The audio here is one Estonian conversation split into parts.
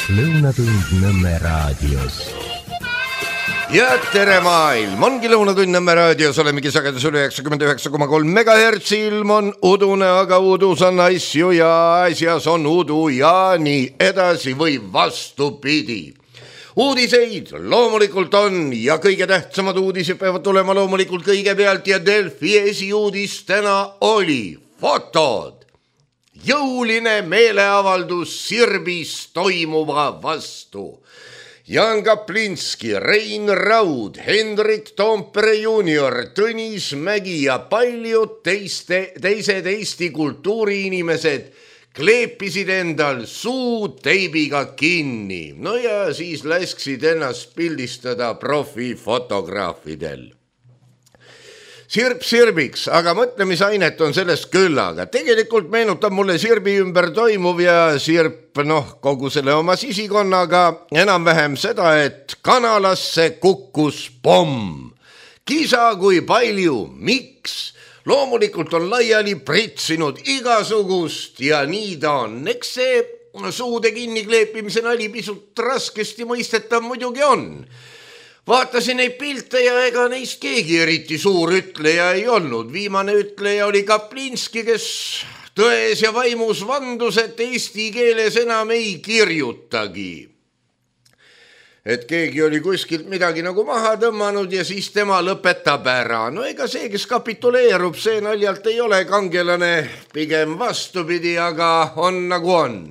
Lõunatund Nõmme raadios. Ja tere maailm, ongi Lõunatund Nõmme raadios, olemegi sagedus üle 99,3 MHz, ilm on udune, aga udus on asju ja asjas on udu ja nii edasi või vastupidi. Uudiseid loomulikult on ja kõige tähtsamad uudised peavad tulema loomulikult kõigepealt ja Delfi esiuudis täna oli fotod. Jõuline meeleavaldus Sirbis toimuva vastu. Jan Kaplinski, Rein Raud, Hendrik Toompere junior, Tõnis Mägi ja paljud teised Eesti kultuuriinimesed kleepisid endal suu teibiga kinni. No ja siis lasksid ennast pildistada profifotograafidel. Sirb sirbiks, aga mõtlemisainet on sellest küllaga. Tegelikult meenutab mulle Sirbi ümber toimuv ja Sirp, kogu selle oma sisikonnaga enam-vähem seda, et kanalasse kukkus pomm. Kisa kui palju, miks? Loomulikult on laiali pritsinud igasugust ja nii ta on. Eks see suude kinni kleepimise nali pisut raskesti mõistetav muidugi on. Vaatasin neid pilte ja ega neist keegi eriti suur ütleja ei olnud. Viimane ütleja oli Kaplinski, kes tões ja vaimus vandus, et eesti keeles enam ei kirjutagi. Et keegi oli kuskilt midagi nagu maha tõmmanud ja siis tema lõpetab ära. No ega see, kes kapituleerub, see naljalt ei ole kangelane, pigem vastupidi, aga on nagu on.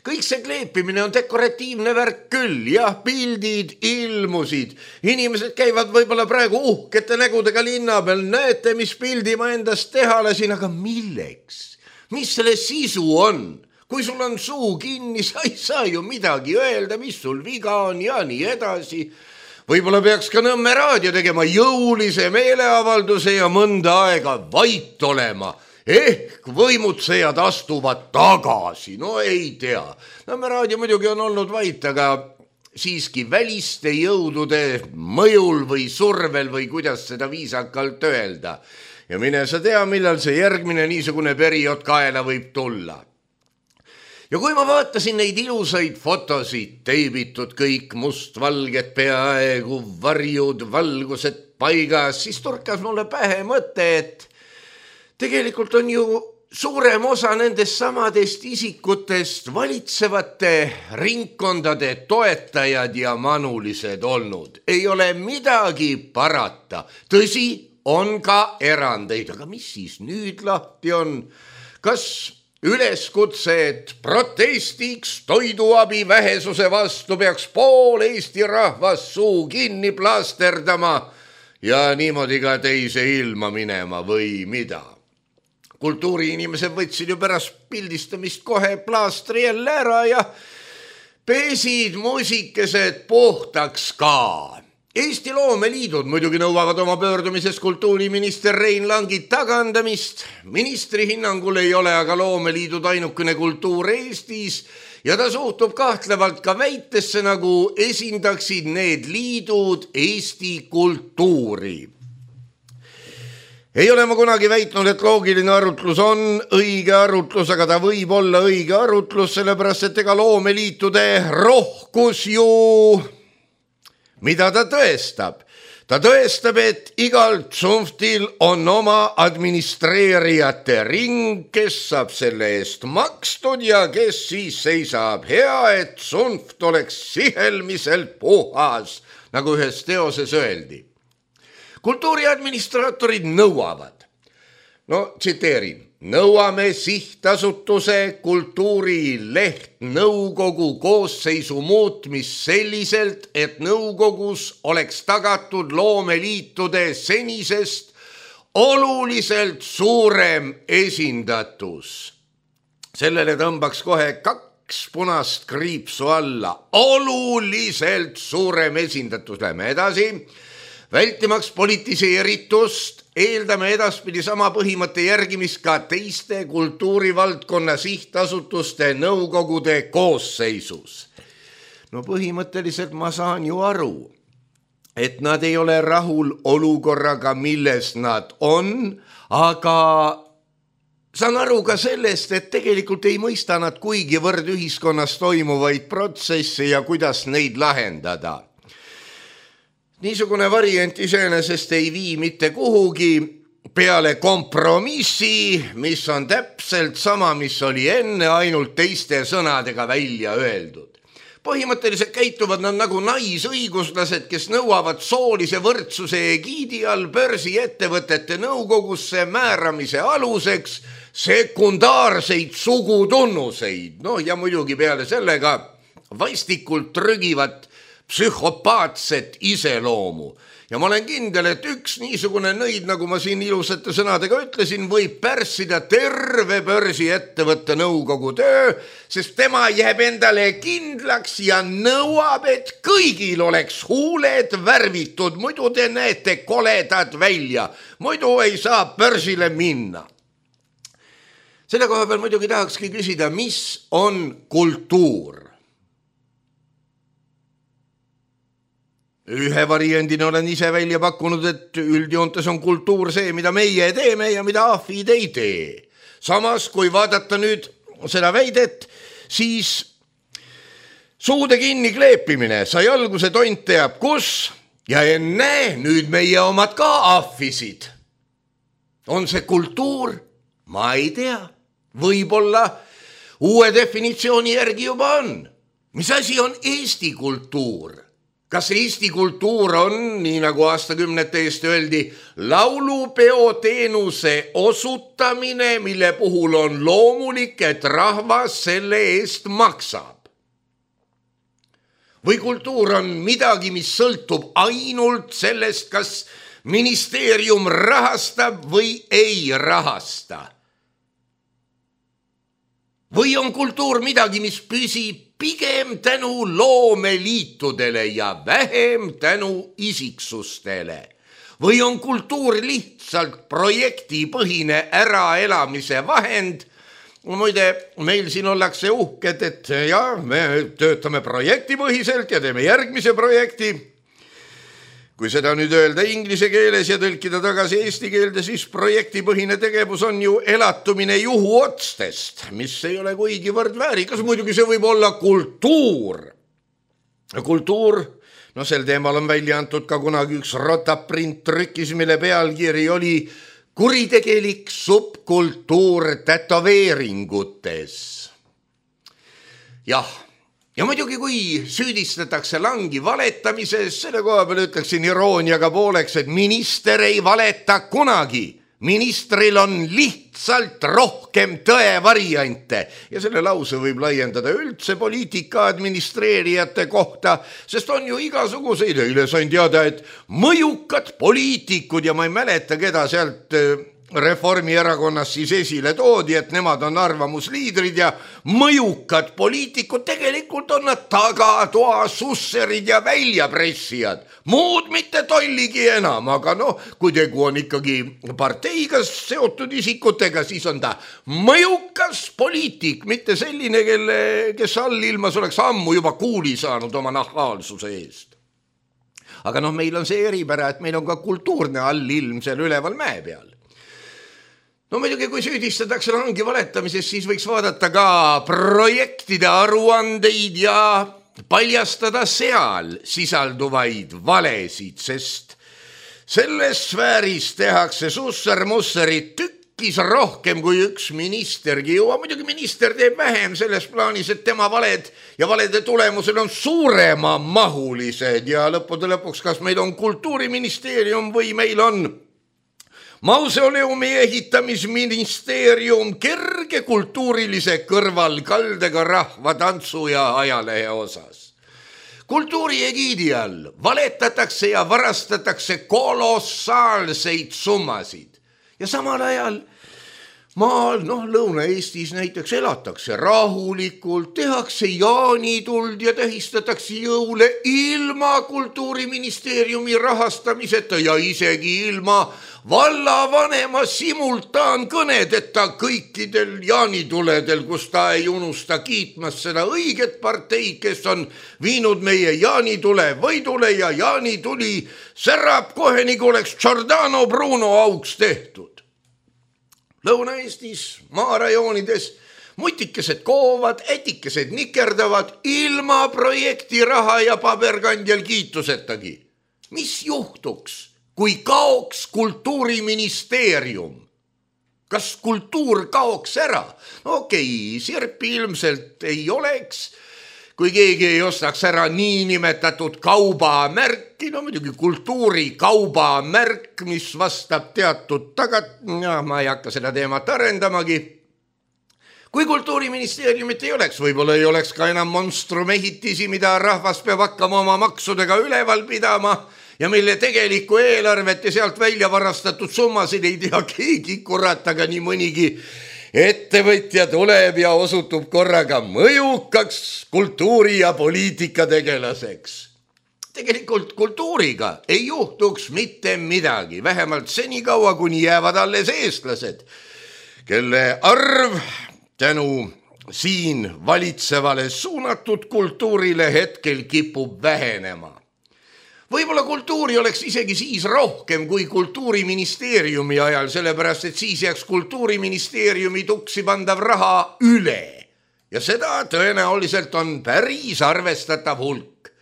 Kõik see kleepimine on dekoratiivne värk küll, jah, pildid ilmusid. Inimesed käivad võib-olla praegu uhkete nägudega linna peal, näete, mis pildi ma endast teha lasin, aga milleks? Mis selle sisu on? Kui sul on suu kinni, sa ei saa ju midagi öelda, mis sul viga on ja nii edasi. Võib-olla peaks ka Nõmme raadio tegema jõulise meeleavalduse ja mõnda aega vait olema. Ehk võimutsejad astuvad tagasi, no ei tea. Nõmme raadio muidugi on olnud vait, aga siiski väliste jõudude mõjul või survel või kuidas seda viisakalt öelda. Ja mine sa tea, millal see järgmine niisugune periood kaela võib tulla. Ja kui ma vaatasin neid ilusaid fotosid, teibitud kõik mustvalged peaaegu varjud, valgused paigas, siis turkas mulle pähe mõte, et tegelikult on ju suurem osa nendest samadest isikutest valitsevate ringkondade toetajad ja manulised olnud. Ei ole midagi parata. Tõsi, on ka erandeid, aga mis siis nüüd lahti on? Kas üleskutse, et protestiks toiduabi vähesuse vastu peaks pool Eesti rahvas suu kinni plaasterdama ja niimoodi ka teise ilma minema või mida? Kultuuriinimesed võtsid ju pärast pildistamist kohe plaastri jälle ära ja pesid muusikesed puhtaks ka. Eesti loomeliidud muidugi nõuavad oma pöördumises kultuuriminister Rein Langi tagandamist. Ministri hinnangul ei ole aga loomeliidud ainukene kultuur Eestis ja ta suhtub kahtlevalt ka väitesse, nagu esindaksid need liidud Eesti kultuuri. Ei ole ma kunagi väitnud, et loogiline arutlus on õige arutlus, aga ta võib olla õige arutlus, sellepärast et ega loomeliitude rohkus ju, mida ta tõestab? Ta tõestab, et igal tsunftil on oma administreerijate ring, kes saab selle eest makstud ja kes siis seisab hea, et tsunft oleks sihelmiselt puhas, nagu ühes teoses öeldi. Kultuuriadministraatorid nõuavad, tsiteerin, nõuame sihtasutuse kultuurileht nõukogu koosseisu muutmist selliselt, et nõukogus oleks tagatud loomeliitude senisest oluliselt suurem esindatus. Sellele tõmbaks kohe 2 punast kriipsu alla. Oluliselt suurem esindatus. Lähme edasi. Vältimaks politiseeritust eeldame edaspidi sama põhimõtte järgimist ka teiste kultuurivaldkonna sihtasutuste nõukogude koosseisus. Põhimõtteliselt ma saan ju aru, et nad ei ole rahul olukorraga, milles nad on, aga saan aru ka sellest, et tegelikult ei mõista nad kuigivõrd ühiskonnas toimuvaid protsesse ja kuidas neid lahendada. Niisugune variant iseenesest ei vii mitte kuhugi peale kompromissi, mis on täpselt sama, mis oli enne, ainult teiste sõnadega välja öeldud. Põhimõtteliselt käituvad nad nagu naisõiguslased, kes nõuavad soolise võrdsuse egiidi all börsiettevõtete nõukogusse määramise aluseks sekundaarseid sugutunnuseid. No ja muidugi peale sellega vaistikult trügivat psühhopaatset iseloomu. Ja ma olen kindel, et üks niisugune nõid, nagu ma siin ilusate sõnadega ütlesin, võib pärssida terve börsiettevõtte nõukogu töö, sest tema jääb endale kindlaks ja nõuab, et kõigil oleks huuled värvitud, muidu te näete koledad välja, muidu ei saa börsile minna. Selle koha peal muidugi tahakski küsida, mis on kultuur? Ühe variandina olen ise välja pakkunud, et üldjoontes on kultuur see, mida meie teeme ja mida ahvid ei tee. Samas, kui vaadata nüüd seda väidet, siis suude kinni kleepimine sai alguse tont teab kus ja enne nüüd meie omad ka ahvisid. On see kultuur? Ma ei tea. Võib-olla uue definitsiooni järgi juba on. Mis asi on Eesti kultuur? Kas Eesti kultuur on, nii nagu aastakümnete eest öeldi, laulupeoteenuse osutamine, mille puhul on loomulik, et rahvas selle eest maksab? Või kultuur on midagi, mis sõltub ainult sellest, kas ministeerium rahastab või ei rahasta? Või on kultuur midagi, mis püsib pigem tänu loomeliitudele ja vähem tänu isiksustele? Või on kultuur lihtsalt projektipõhine äraelamise vahend? Muide, meil siin ollakse uhked, et me töötame projektipõhiselt ja teeme järgmise projekti. Kui seda nüüd öelda inglise keeles ja tõlkida tagasi eesti keelde, siis projektipõhine tegevus on ju elatumine juhuotstest, mis ei ole kuigivõrd väärikas. Muidugi see võib olla kultuur. Kultuur, sel teemal on välja antud ka kunagi üks rotaprint trükis, mille pealkiri oli kuritegelik subkultuur tätoveeringutes. Jah. Ja muidugi, kui süüdistatakse langi valetamises, selle koha peal ütleksin irooniaga pooleks, et minister ei valeta kunagi. Ministril on lihtsalt rohkem tõevariante ja selle lause võib laiendada üldse poliitika administreerijate kohta, sest on ju igasuguseid. Eile sain teada, et mõjukad poliitikud ja ma ei mäleta, keda sealt Reformierakonnas siis esile toodi, et nemad on arvamusliidrid ja mõjukad poliitikud, tegelikult on nad tagatoa susserid ja väljapressijad. Muud mitte tolligi enam, aga kui tegu on ikkagi parteiga seotud isikutega, siis on ta mõjukas poliitik, mitte selline, kes allilmas oleks ammu juba kuuli saanud oma nahaalsuse eest. Aga meil on see eripära, et meil on ka kultuurne allilm seal üleval mäe peal. Muidugi, kui süüdistatakse langi valetamises, siis võiks vaadata ka projektide aruandeid ja paljastada seal sisalduvaid valesid, sest selles sfääris tehakse susser-musserit tükkis rohkem kui üks ministergi jõua. Muidugi minister teeb vähem selles plaanis, et tema valed ja valede tulemusel on suurema mahulised ja lõppude lõpuks, kas meil on kultuuriministeerium või meil on mausoleumi ehitamisministeerium kerge kultuurilise kõrvalkaldega rahva tantsu ja ajalehe osas. Kultuuri egiidi all valetatakse ja varastatakse kolossaalseid summasid ja samal ajal maal, Lõuna-Eestis näiteks elatakse rahulikult, tehakse jaanituld ja tähistatakse jõule ilma kultuuriministeeriumi rahastamiseta ja isegi ilma vallavanema simultaankõnedeta kõikidel jaanituledel, kus ta ei unusta kiitmas seda õiget parteid, kes on viinud meie jaanitule võidule ja jaanituli särab kohe, nagu oleks Giordano Bruno auks tehtud. Lõuna-Eestis, maarajoonides mutikesed koovad, etikesed nikerdavad ilma projekti raha ja paberkandjal kiitusetagi. Mis juhtuks, kui kaoks kultuuriministeerium? Kas kultuur kaoks ära? Okei, sirpi ilmselt ei oleks, kui keegi ei ostaks ära niinimetatud kaubamärki, no muidugi kultuuri kaubamärk, mis vastab teatud ma ei hakka seda teemat arendamagi. Kui kultuuriministeeriumit ei oleks, võib-olla ei oleks ka enam monstrumehitisi, mida rahvas peab hakkama oma maksudega üleval pidama ja mille tegelikku eelarvet ja sealt välja varastatud summasid ei tea keegi, kurat, aga nii mõnigi ettevõtja tuleb ja osutub korraga mõjukaks kultuuri- ja poliitikategelaseks. Tegelikult kultuuriga ei juhtuks mitte midagi, vähemalt senikaua, kuni jäävad alles eestlased, kelle arv tänu siin valitsevale suunatud kultuurile hetkel kipub vähenema. Võib-olla kultuuri oleks isegi siis rohkem kui kultuuriministeeriumi ajal, sellepärast et siis jääks kultuuriministeeriumi tuksi pandav raha üle. Ja seda tõenäoliselt on päris arvestatav hulk.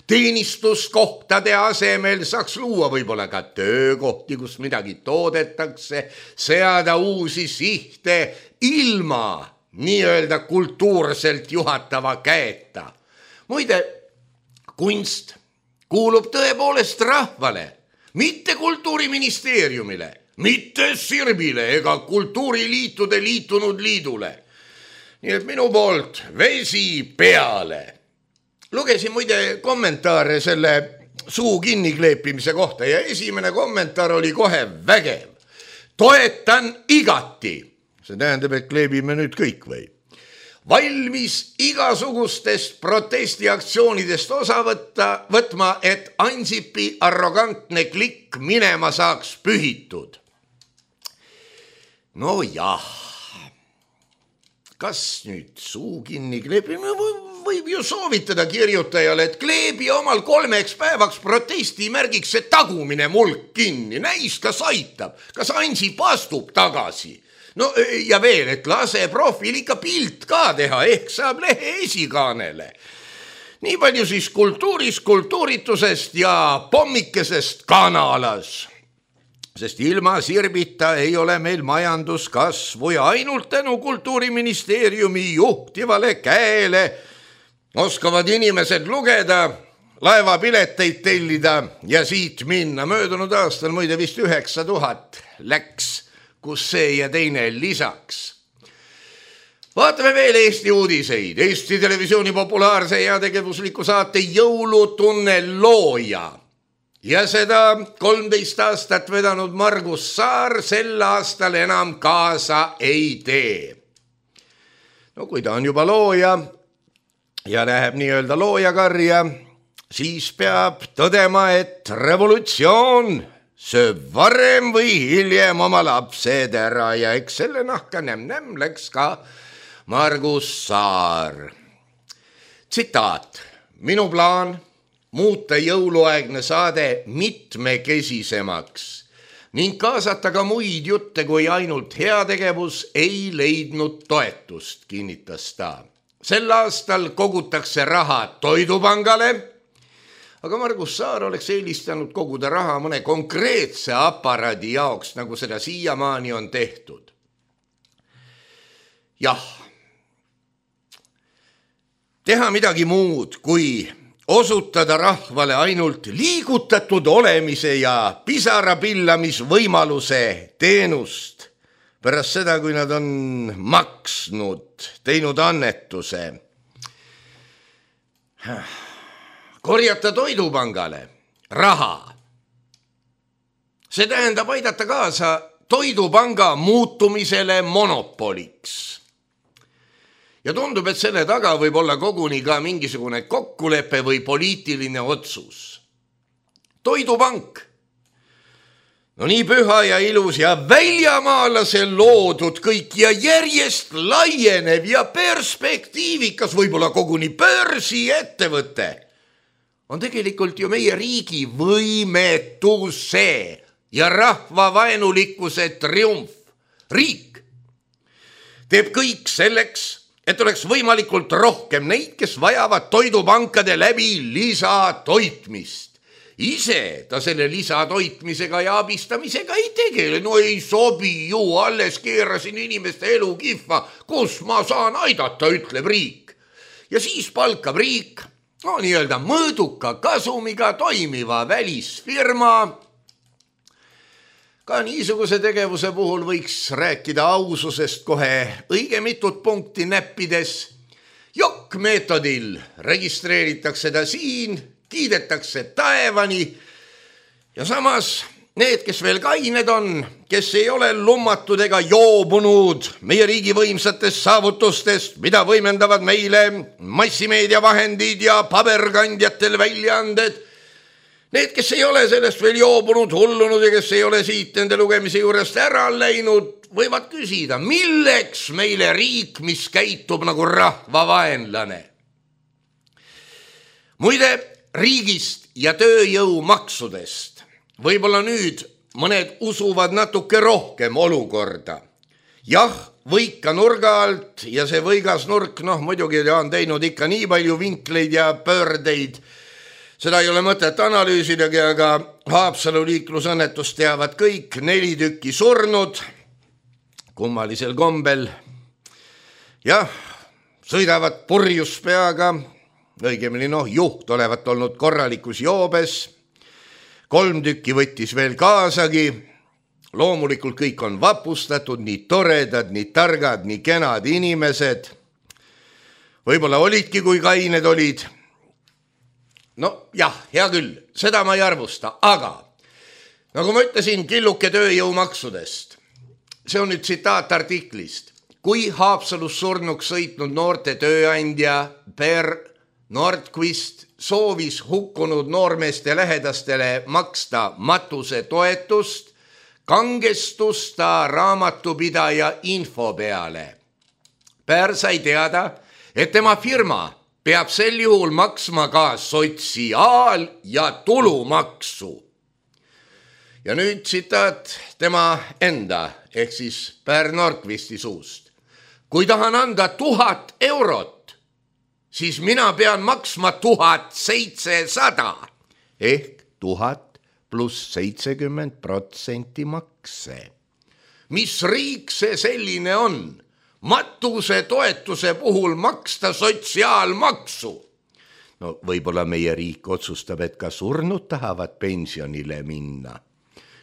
Teenistuskohtade asemel saaks luua võib-olla ka töökohti, kus midagi toodetakse, seada uusi sihte ilma nii-öelda kultuurselt juhatava käeta. Muide, kunst kuulub tõepoolest rahvale, mitte kultuuriministeeriumile, mitte Sirbile ega kultuuriliitude liitunud liidule. Nii et minu poolt vesi peale. Lugesin muide kommentaare selle suu kinnikleepimise kohta ja esimene kommentaar oli kohe vägev. Toetan igati. See tähendab, et kleebime nüüd kõik või? Valmis igasugustest protestiaktsioonidest osa võtma, et Ansipi arrogantne klikk minema saaks pühitud. No jah, kas nüüd suu kinni kleebime? Võib ju soovitada kirjutajale, et kleebi omal 3 päevaks protestimärgiks see tagumine mulk kinni. Näis, kas aitab, kas Ansip astub tagasi. No ja veel, et lase profil ikka pilt ka teha, ehk saab lehe esikaanele. Nii palju siis kultuurist, kultuuritusest ja pommikesest kanalas. Sest ilma Sirbita ei ole meil majanduskasvu ja ainult tänu kultuuriministeeriumi juhtivale käele oskavad inimesed lugeda, laevapileteid tellida ja siit minna. Möödunud aastal muide vist 9000 läks, kus see ja teine lisaks. Vaatame veel Eesti uudiseid. Eesti Televisiooni populaarse ja tegevusliku saate Jõulutunne looja ja seda 13 aastat vedanud Margus Saar sel aastal enam kaasa ei tee. No kui ta on juba looja ja läheb nii-öelda loojakarja, siis peab tõdema, et revolutsioon sööb varem või hiljem oma lapsed ära ja eks selle nahka nämm läks ka Margus Saar. Tsitaat. Minu plaan muuta jõuluaegne saade mitmekesisemaks ning kaasata ka muid jutte kui ainult heategevus ei leidnud toetust, kinnitas ta. Sel aastal kogutakse raha Toidupangale, aga Margus Saar oleks eelistanud koguda raha mõne konkreetse aparaadi jaoks, nagu seda siiamaani on tehtud. Jah, teha midagi muud, kui osutada rahvale ainult liigutatud olemise ja pisarapillamisvõimaluse teenust pärast seda, kui nad on maksnud, teinud annetuse. Korjata Toidupangale raha. See tähendab aidata kaasa Toidupanga muutumisele monopoliks. Ja tundub, et selle taga võib olla koguni ka mingisugune kokkulepe või poliitiline otsus. Toidupank. No nii püha ja ilus ja väljamaalase loodud kõik ja järjest laienev ja perspektiivikas, võib-olla koguni börsiettevõte on tegelikult ju meie riigi võimetuse ja rahvavaenulikkuse triumf. Riik, teeb kõik selleks, et oleks võimalikult rohkem neid, kes vajavad toidupankade läbi lisatoitmist. Ise ta selle lisatoitmisega ja abistamisega ei tegele. No ei sobi ju, alles keerasin inimeste elu kihva, kus ma saan aidata, ütleb riik. Ja siis palkab riik nii-öelda mõõduka kasumiga toimiva välisfirma. Ka niisuguse tegevuse puhul võiks rääkida aususest kohe õige mitut punkti näppides. Jokk-meetodil registreeritakse ta siin, kiidetakse taevani ja samas need, kes veel kained on, kes ei ole lummatud ega joobunud meie riigi võimsatest saavutustest, mida võimendavad meile massimeediavahendid ja paberkandjatel väljaanded, need, kes ei ole sellest veel joobunud, hullunud ja kes ei ole siit nende lugemise juurest ära läinud, võivad küsida, milleks meile riik, mis käitub nagu rahvavaenlane. Muide, riigist ja tööjõumaksudest võib-olla nüüd mõned usuvad natuke rohkem olukorda. Jah, võika nurga alt ja see võigas nurk, muidugi on teinud ikka nii palju vinkleid ja pöördeid. Seda ei ole mõtet analüüsidagi, aga Haapsalu liiklusõnnetust teavad kõik, 4 tükki surnud, kummalisel kombel. Jah, sõidavad purjus peaga, õigemini juht olevat olnud korralikus joobes, 3 tükki võttis veel kaasagi, loomulikult kõik on vapustatud, nii toredad, nii targad, nii kenad inimesed, võib-olla olidki, kui kained olid. Jah, hea küll, seda ma ei arvusta, aga nagu ma ütlesin, killuke tööjõumaksudest, see on nüüd tsitaat artiklist, kui Haapsalus surnuks sõitnud noorte tööandja Per Nordqvist soovis hukkunud noormeeste lähedastele maksta matusetoetust, kangestus ta raamatupidaja info peale. Per sai teada, et tema firma peab sel juhul maksma ka sotsiaal- ja tulumaksu. Ja nüüd tsitaat tema enda ehk siis Per Nordqvisti suust. Kui tahan anda 1000 eurot, siis mina pean maksma 1700 ehk 1000 pluss 70% makse. Mis riik see selline on? Matuse toetuse puhul maksta sotsiaalmaksu. Võib-olla meie riik otsustab, et ka surnud tahavad pensionile minna.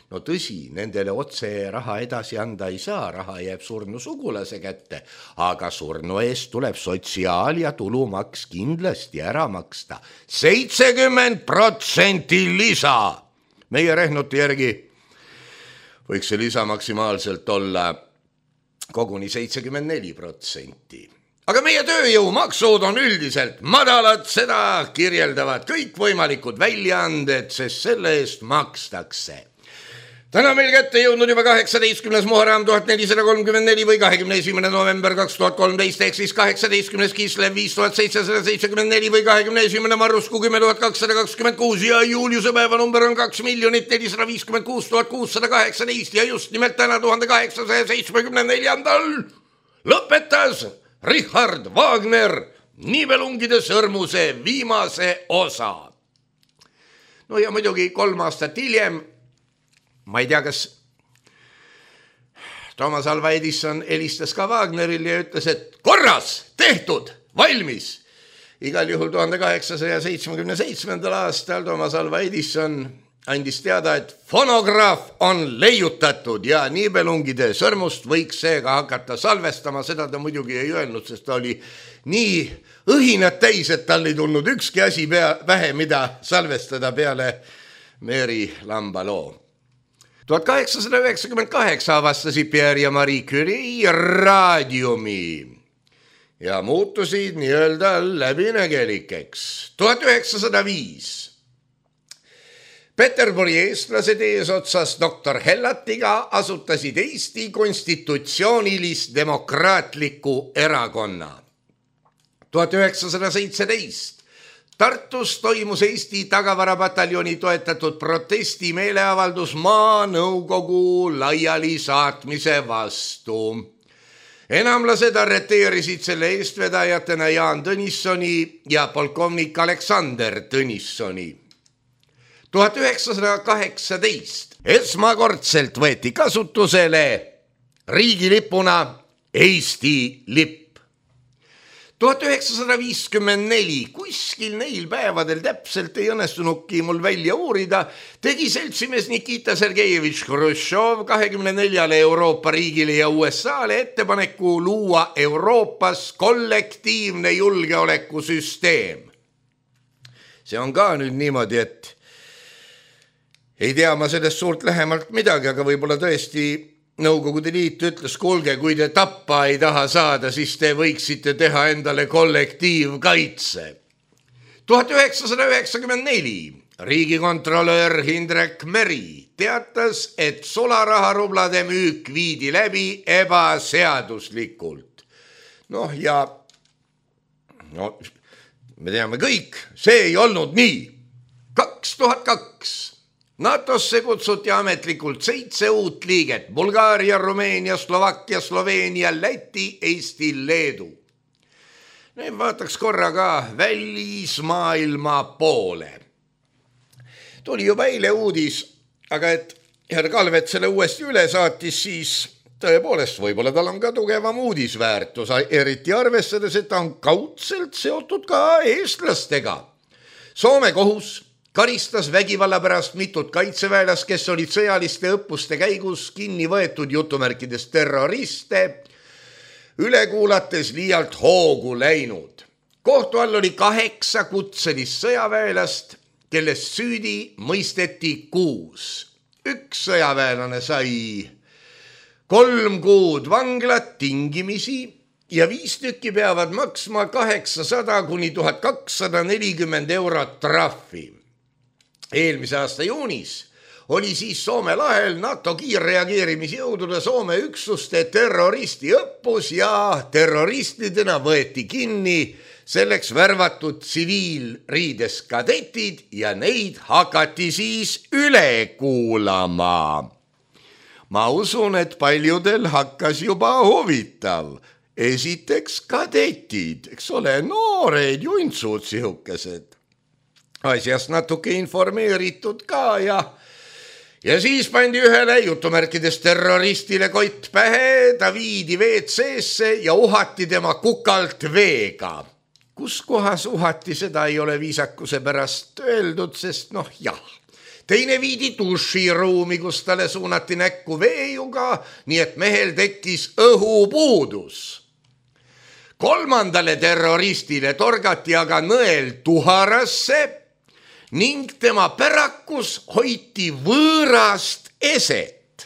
Tõsi, nendele otse raha edasi anda ei saa, raha jääb surnu sugulase kätte, aga surnu eest tuleb sotsiaal- ja tulumaks kindlasti ära maksta. 70% lisa. Meie rehnuti järgi võiks see lisa maksimaalselt olla koguni 74%. Aga meie tööjõumaksud on üldiselt madalad, seda kirjeldavad kõikvõimalikud väljaanded, sest selle eest makstakse. Täna meil kätte jõudnud juba 18. Muharram 1434 või 21. november 2013 ehk siis 18. Kislev 5774 või 21. Marrusku 10226 ja Juliuse päeva number on 2 456 618 ja just nimelt täna 1874. lõpetas Richard Wagner Nibelungide sõrmuse viimase osa. Ja muidugi 3 aastat hiljem, ma ei tea, kas Toomas Alva Edison helistas ka Wagneril ja ütles, et korras, tehtud, valmis. Igal juhul 1877. aastal Toomas Alva Edison andis teada, et fonograaf on leiutatud ja Nibelungide sõrmust võiks seega hakata salvestama. Seda ta muidugi ei öelnud, sest ta oli nii õhinad täis, et tal ei tulnud ükski asi vähe, mida salvestada peale Mary Lamba loo. 1898 avastasid Pierre ja Marie Curie raadiumi ja muutusid nii-öelda läbinägelikeks. 1905 Peterburi eestlased eesotsas doktor Hellatiga asutasid Eesti konstitutsioonilis-demokraatliku erakonna. 1917 Tartus toimus Eesti tagavarapataljoni toetatud protesti meeleavaldus maanõukogu laiali saatmise vastu. Enamlased arreteerisid selle eestvedajatena Jaan Tõnissoni ja polkovnik Aleksander Tõnissoni. 1918 esmakordselt võeti kasutusele riigilipuna Eesti lipp. 1954, kuskil neil päevadel täpselt ei õnnestunudki mul välja uurida, tegi seltsimees Nikita Sergejevitš Hruštšov 24 Euroopa riigile ja USA-le ettepaneku luua Euroopas kollektiivne julgeolekusüsteem. See on ka nüüd niimoodi, et ei tea ma sellest suurt lähemalt midagi, aga võib-olla tõesti Nõukogude Liit ütles, kuulge, kui te tappa ei taha saada, siis te võiksite teha endale kollektiivkaitse. 1994 riigikontrolör Hindrek Meri teatas, et sularaharublade müük viidi läbi ebaseaduslikult. Me teame kõik, see ei olnud nii. 2002 NATO-sse kutsuti ametlikult 7 uut liiget: Bulgaaria, Rumeenia, Slovakkia, Sloveenia, Läti, Eesti, Leedu. Nüüd vaataks korra ka välismaailma poole. Tuli juba eile uudis, aga et härra Kalvet selle uuesti üle saatis, siis tõepoolest võib-olla tal on ka tugevam uudisväärtus, eriti arvestades, et ta on kaudselt seotud ka eestlastega. Soome kohus karistas vägivalla pärast mitut kaitseväelast, kes olid sõjaliste õppuste käigus kinni võetud jutumärkides terroriste, üle kuulates liialt hoogu läinud. Kohtu all oli 8 kutselist sõjaväelast, kellest süüdi mõisteti 6. Üks sõjaväelane sai 3 kuud vanglat tingimisi ja 5 tükki peavad maksma 800 kuni 1240 eurot trahvi. Eelmise aasta juunis oli siis Soome lahel NATO kiirreageerimisjõudude Soome üksuste terroristiõppus ja terroristidena võeti kinni selleks värvatud tsiviilriides kadetid ja neid hakati siis üle kuulama. Ma usun, et paljudel hakkas juba huvitav. Esiteks kadetid, eks ole, noored juntsud sihukesed. Asjast natuke informeeritud ka ja siis pandi ühele jutumärkides terroristile kott pähe, ta viidi WC-sse ja uhati tema kukalt veega. Kus kohas uhati, seda ei ole viisakuse pärast öeldud, sest Teine viidi duširuumi, kus talle suunati näkku veejuga, nii et mehel tekkis õhupuudus. 3. terroristile torgati aga nõel tuharasse ning tema pärakus hoiti võõrast eset.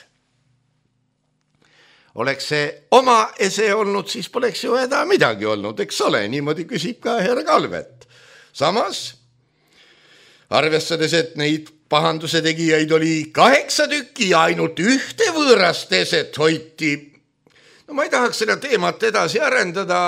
Oleks see oma ese olnud, siis poleks ju häda midagi olnud, eks ole, niimoodi küsib ka härra Kalvet. Samas, arvestades, et neid pahanduse tegijaid oli 8 tükki ja ainult 1 võõrast eset hoiti, ma ei tahaks seda teemat edasi arendada,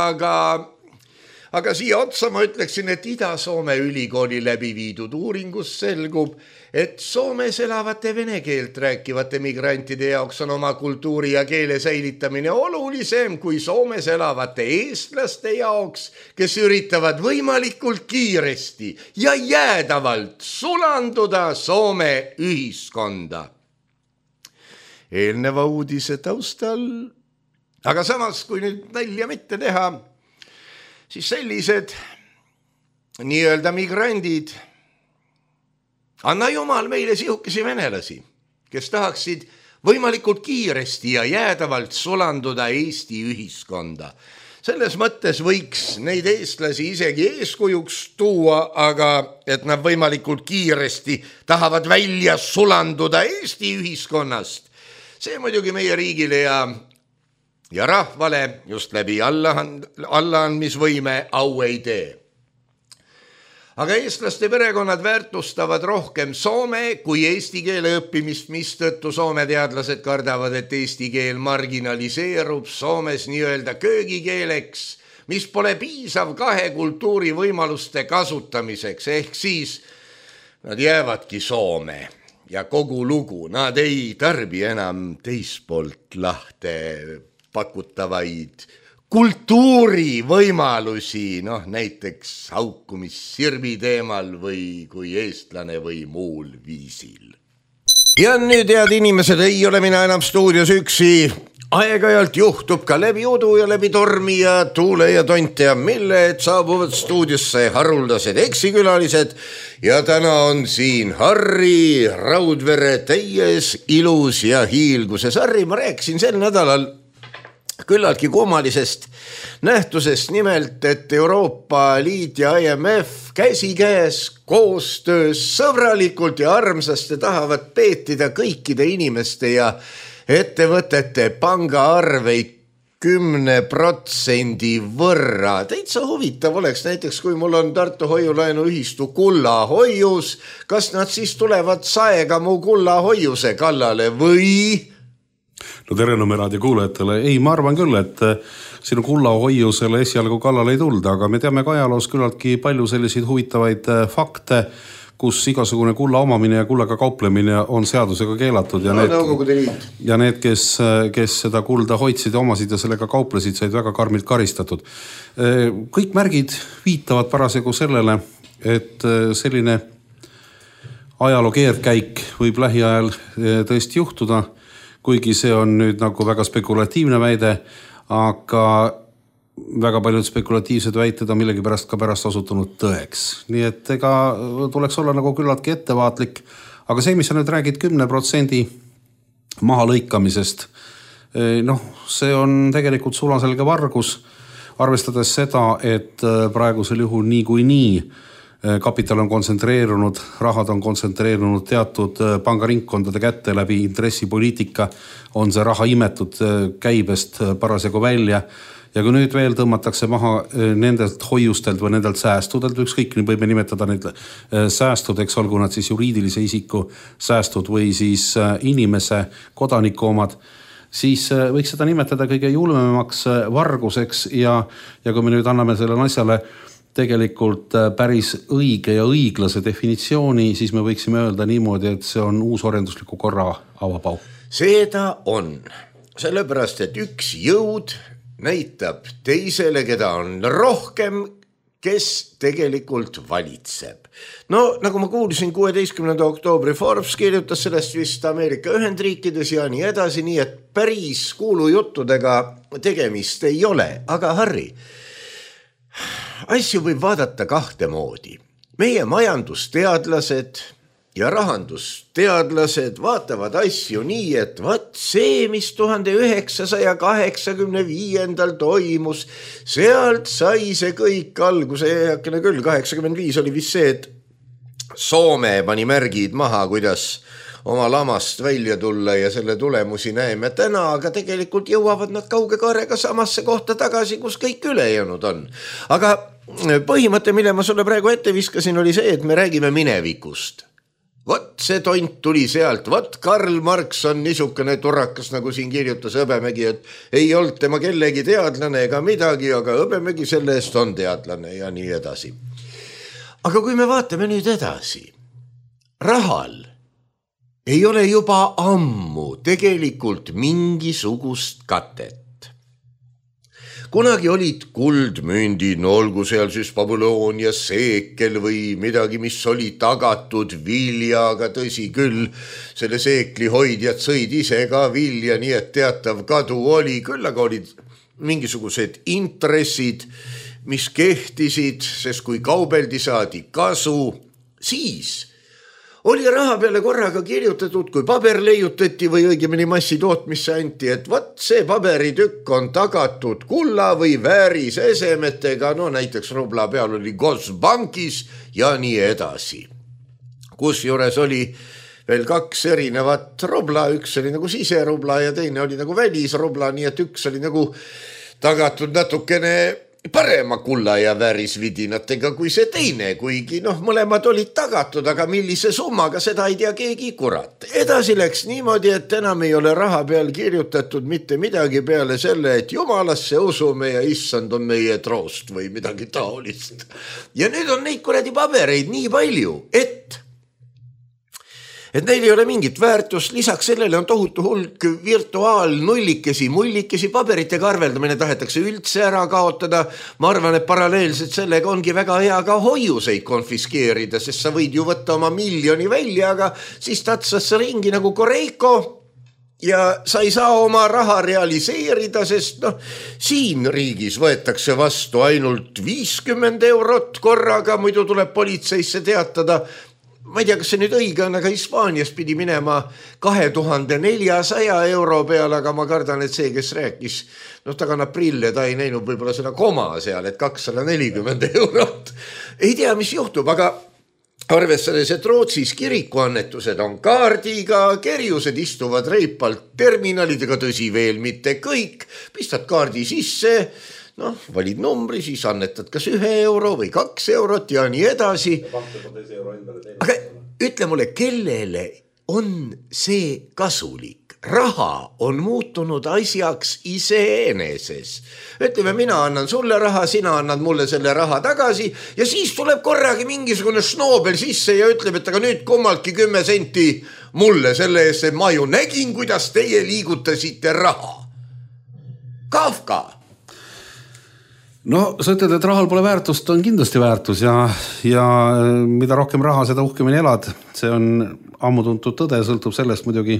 aga siia otsa ma ütleksin, et Ida-Soome ülikooli läbi viidud uuringus selgub, et Soomes elavate vene keelt rääkivate migrantide jaoks on oma kultuuri ja keele säilitamine olulisem kui Soomes elavate eestlaste jaoks, kes üritavad võimalikult kiiresti ja jäädavalt sulanduda Soome ühiskonda. Eelneva uudise taustal, aga samas, kui nüüd nalja mitte teha, siis sellised nii-öelda migrandid, anna jumal meile sihukesi venelasi, kes tahaksid võimalikult kiiresti ja jäädavalt sulanduda Eesti ühiskonda. Selles mõttes võiks neid eestlasi isegi eeskujuks tuua, aga et nad võimalikult kiiresti tahavad välja sulanduda Eesti ühiskonnast. See muidugi meie riigile ja rahvale just läbi allaandmisvõime au ei tee. Aga eestlaste perekonnad väärtustavad rohkem soome kui eesti keele õppimist, mistõttu Soome teadlased kardavad, et eesti keel marginaliseerub Soomes nii-öelda köögikeeleks, mis pole piisav 2 kultuuri võimaluste kasutamiseks, ehk siis nad jäävadki Soome ja kogu lugu, nad ei tarbi enam teispoolt lahte pakutavaid kultuurivõimalusi, näiteks haukumissirbi teemal või kui eestlane või muul viisil. Ja nüüd, head inimesed, ei ole mina enam stuudios üksi. Aeg-ajalt juhtub ka läbi udu ja läbi tormi ja tuule ja tonte ja mille, et saabuvad stuudiosse haruldased eksikülalised ja täna on siin Harri Raudvere täies ilus ja hiilguses. Harri, ma rääkisin sel nädalal küllaltki kummalisest nähtusest, nimelt, et Euroopa Liit ja IMF käsikäes koostöös sõbralikult ja armsasti tahavad peetida kõikide inimeste ja ettevõtete pangaarveid 10% võrra. Täitsa huvitav oleks näiteks, kui mul on Tartu hoiulaenuühistu kullahoius, kas nad siis tulevad saega mu kullahoiuse kallale või? No tere Nõmeraadio kuulajatele. Ei, ma arvan küll, et sinu kullahoiusele esialgu kallale ei tulda, aga me teame ka ajaloos küllaltki palju selliseid huvitavaid fakte, kus igasugune kulla omamine ja kullaga kauplemine on seadusega keelatud ja need, kes seda kulda hoidsid ja omasid ja sellega kauplesid, said väga karmilt karistatud. Kõik märgid viitavad parasjagu sellele, et selline ajaloo keerdkäik võib lähiajal tõesti juhtuda, kuigi see on nüüd nagu väga spekulatiivne väide, aga väga paljud spekulatiivsed väited on millegipärast ka pärast osutunud tõeks. Nii et ega tuleks olla nagu küllaltki ettevaatlik, aga see, mis sa nüüd räägid 10% maha lõikamisest, see on tegelikult sulaselge vargus, arvestades seda, et praegusel juhul nii kapital on kontsentreerunud, rahad on kontsentreerunud teatud pangaringkondade kätte läbi intressipoliitika, on see raha imetud käibest parasjagu välja. Ja kui nüüd veel tõmmatakse maha nendelt hoiustelt või nendelt säästudelt, ükskõik nii võime nimetada neid säästudeks, olgu nad siis juriidilise isiku säästud või siis inimese kodaniku omad, siis võiks seda nimetada kõige julmemaks varguseks ja kui me nüüd anname selle asjale tegelikult päris õige ja õiglase definitsiooni, siis me võiksime öelda niimoodi, et see on uusorjendusliku korra avapau. Seda on, sellepärast, et üks jõud näitab teisele, keda on rohkem, kes tegelikult valitseb. Nagu ma kuulsin, 16. oktoobri Forbes kirjutas sellest vist Ameerika Ühendriikides ja nii edasi, nii et päris kuulujuttudega tegemist ei ole. Aga Harri, asju võib vaadata kahte moodi. Meie majandusteadlased ja rahandusteadlased vaatavad asju nii, et see, mis 1985. toimus, sealt sai see kõik alguse, heakene küll, 85 oli vist see, et Soome pani märgid maha, kuidas oma lamast välja tulla ja selle tulemusi näeme täna, aga tegelikult jõuavad nad kauge kaarega samasse kohta tagasi, kus kõik ülejäänud on. Aga põhimõte, mille ma sulle praegu ette viskasin, oli see, et me räägime minevikust. Vot see tont tuli sealt, vot Karl Marx on niisugune turrakas, nagu siin kirjutas Hõbemägi, et ei olnud tema kellegi teadlane ega midagi, aga Hõbemägi selle eest on teadlane ja nii edasi. Aga kui me vaatame nüüd edasi, rahal ei ole juba ammu tegelikult mingisugust katet. Kunagi olid kuldmündid, olgu seal siis Babyloonia seekel või midagi, mis oli tagatud viljaga, tõsi küll, selle seekli hoidjad sõid ise ka vilja, nii et teatav kadu oli, küll aga olid mingisugused intressid, mis kehtisid, sest kui kaubeldi saadi kasu, siis oli raha peale korraga kirjutatud, kui paber leiutati või õigemini massitootmisse anti, et vot see paberitükk on tagatud kulla või väärisesemetega, näiteks rubla peal oli Gosbankis ja nii edasi. Kusjuures oli veel kaks erinevat rubla, üks oli nagu siserubla ja teine oli nagu välisrubla, nii et üks oli nagu tagatud natukene parema kulla ja väärisvidinatega kui see teine, kuigi mõlemad olid tagatud, aga millise summaga, seda ei tea keegi kurat. Edasi läks niimoodi, et enam ei ole raha peal kirjutatud mitte midagi peale selle, et jumalasse usume ja issand on meie troost või midagi taolist. Ja nüüd on neid kuradi pabereid nii palju, et et neil ei ole mingit väärtust, lisaks sellele on tohutu hulk virtuaalnullikesi, mullikesi, paberitega arveldamine tahetakse üldse ära kaotada. Ma arvan, et paralleelselt sellega ongi väga hea ka hoiuseid konfiskeerida, sest sa võid ju võtta oma miljoni välja, aga siis tatsas sa ringi nagu Koreiko ja sa ei saa oma raha realiseerida, sest siin riigis võetakse vastu ainult 50 eurot korraga, muidu tuleb politseisse teatada. Ma ei tea, kas see nüüd õige on, aga Hispaanias pidi minema 2400 euro peale, aga ma kardan, et see, kes rääkis, ta kannab prille, ta ei näinud võib-olla seda koma seal, et 240 eurot. Ei tea, mis juhtub, aga arvestades, et Rootsis kirikuannetused on kaardiga, kerjused istuvad reipalt terminalidega, tõsi veel mitte kõik, pistad kaardi sisse, valid numbri, siis annetad kas 1 euro või 2 eurot ja nii edasi. Aga ütle mulle, kellele on see kasulik? Raha on muutunud asjaks iseeneses. Ütleme, mina annan sulle raha, sina annad mulle selle raha tagasi ja siis tuleb korragi mingisugune Snobel sisse ja ütleb, et aga nüüd kummaltki 10 senti mulle selle eest, et ma ju nägin, kuidas teie liigutasite raha. Kafka! No sa ütled, et rahal pole väärtust, on kindlasti väärtus ja mida rohkem raha, seda uhkemini elad. See on ammu tuntud tõde, sõltub sellest muidugi,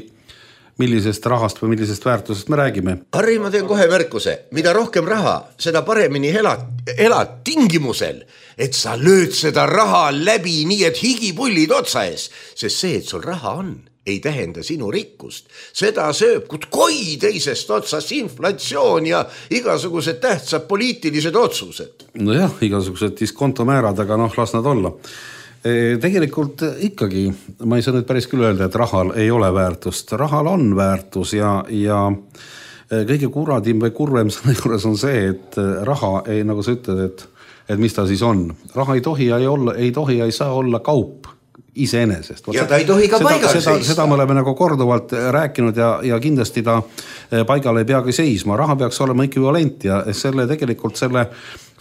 millisest rahast või millisest väärtusest me räägime. Harri, ma teen kohe märkuse. Mida rohkem raha, seda paremini elad tingimusel, et sa lööd seda raha läbi nii, et higipullid otsa ees. Sest see, et sul raha on, ei tähenda sinu rikkust. Seda sööb koi teisest otsast inflatsioon ja igasugused tähtsad poliitilised otsused. Nojah, igasugused diskontomäärad, aga las nad olla. Tegelikult ikkagi, ma ei saa nüüd päris küll öelda, et rahal ei ole väärtust. Rahal on väärtus ja kõige kuradim või kurvem selle juures on see, et raha ei, nagu sa ütled, et mis ta siis on. Raha ei tohi ja ei saa olla kaup iseenesest. Ja ta ei tohi ka paigal seista. Seda me oleme nagu korduvalt rääkinud ja kindlasti ta paigal ei peagi seisma. Raha peaks olema ekvivalent ja tegelikult selle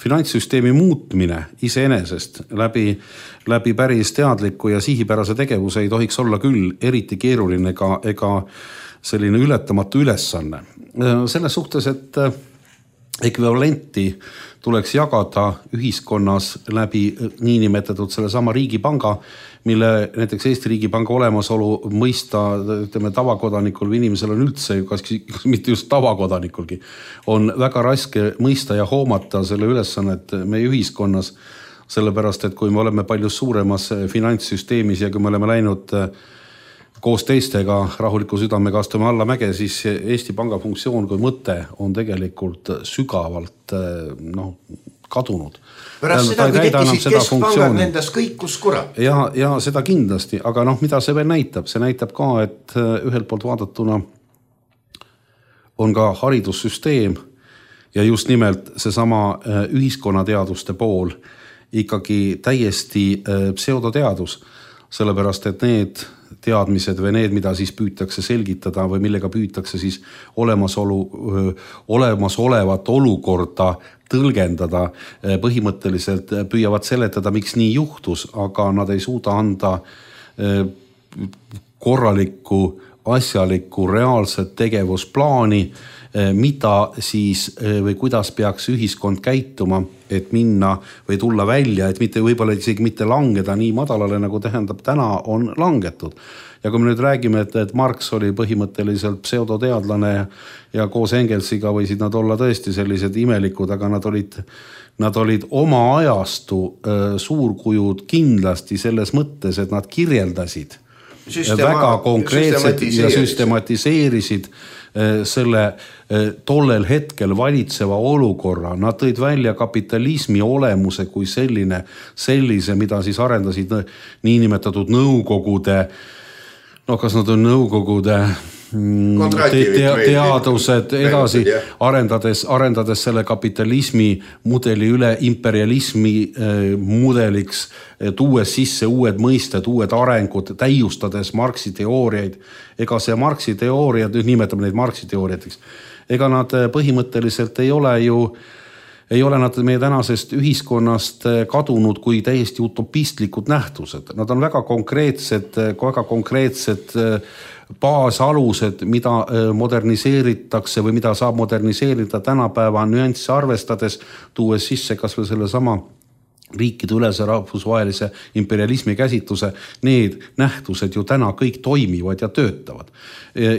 finantssüsteemi muutmine iseenesest läbi päris teadliku ja sihipärase tegevuse ei tohiks olla küll eriti keeruline ega selline ületamatu ülesanne. Selles suhtes, et ekvivalenti tuleks jagada ühiskonnas läbi niinimetatud selle sama riigipanga, mille näiteks Eesti riigipanga olemasolu mõista, ütleme, tavakodanikul või inimesel on üldse, kas mitte just tavakodanikulgi, on väga raske mõista ja hoomata selle ülesannet meie ühiskonnas, sellepärast, et kui me oleme palju suuremas finantssüsteemis ja kui me oleme läinud koos teistega rahuliku südamega astume alla mäge, siis Eesti Panga funktsioon kui mõte on tegelikult sügavalt kadunud. Pärast seda, kui tekkisid keskpangad, nendas kõikus kurat. Ja seda kindlasti, aga mida see veel näitab? See näitab ka, et ühelt poolt vaadatuna on ka haridussüsteem ja just nimelt seesama ühiskonnateaduste pool ikkagi täiesti pseudoteadus, sellepärast, et need teadmised või need, mida siis püütakse selgitada või millega püütakse siis olemasolevat olukorda tõlgendada, põhimõtteliselt püüavad seletada, miks nii juhtus, aga nad ei suuda anda korralikku, asjalikku, reaalset tegevusplaani, mida siis või kuidas peaks ühiskond käituma, et minna või tulla välja, et mitte võib-olla isegi mitte langeda nii madalale, nagu tähendab täna on langetud. Ja kui me nüüd räägime, et Marx oli põhimõtteliselt pseudoteadlane ja koos Engelsiga võisid nad olla tõesti sellised imelikud, aga nad olid oma ajastu suurkujud kindlasti selles mõttes, et nad kirjeldasid väga konkreetselt ja süstematiseerisid selle tollel hetkel valitseva olukorra. Nad tõid välja kapitalismi olemuse kui sellise, mida siis arendasid niinimetatud nõukogude, kas nad on nõukogude teadused edasi, arendades selle kapitalismi mudeli üle imperialismi mudeliks, tuues sisse uued mõisted, uued arengud, täiustades Marxi teooriaid. Ega see Marxi teooriad, nüüd nimetame neid Marxi teooriateks, ega nad põhimõtteliselt ei ole ju ei ole nad meie tänasest ühiskonnast kadunud kui täiesti utopistlikud nähtused. Nad on väga konkreetsed baasalused, mida moderniseeritakse või mida saab moderniseerida tänapäeva nüansse arvestades, tuues sisse kas või selle sama riikide ülese rahvusvahelise imperialismi käsitluse, need nähtused ju täna kõik toimivad ja töötavad.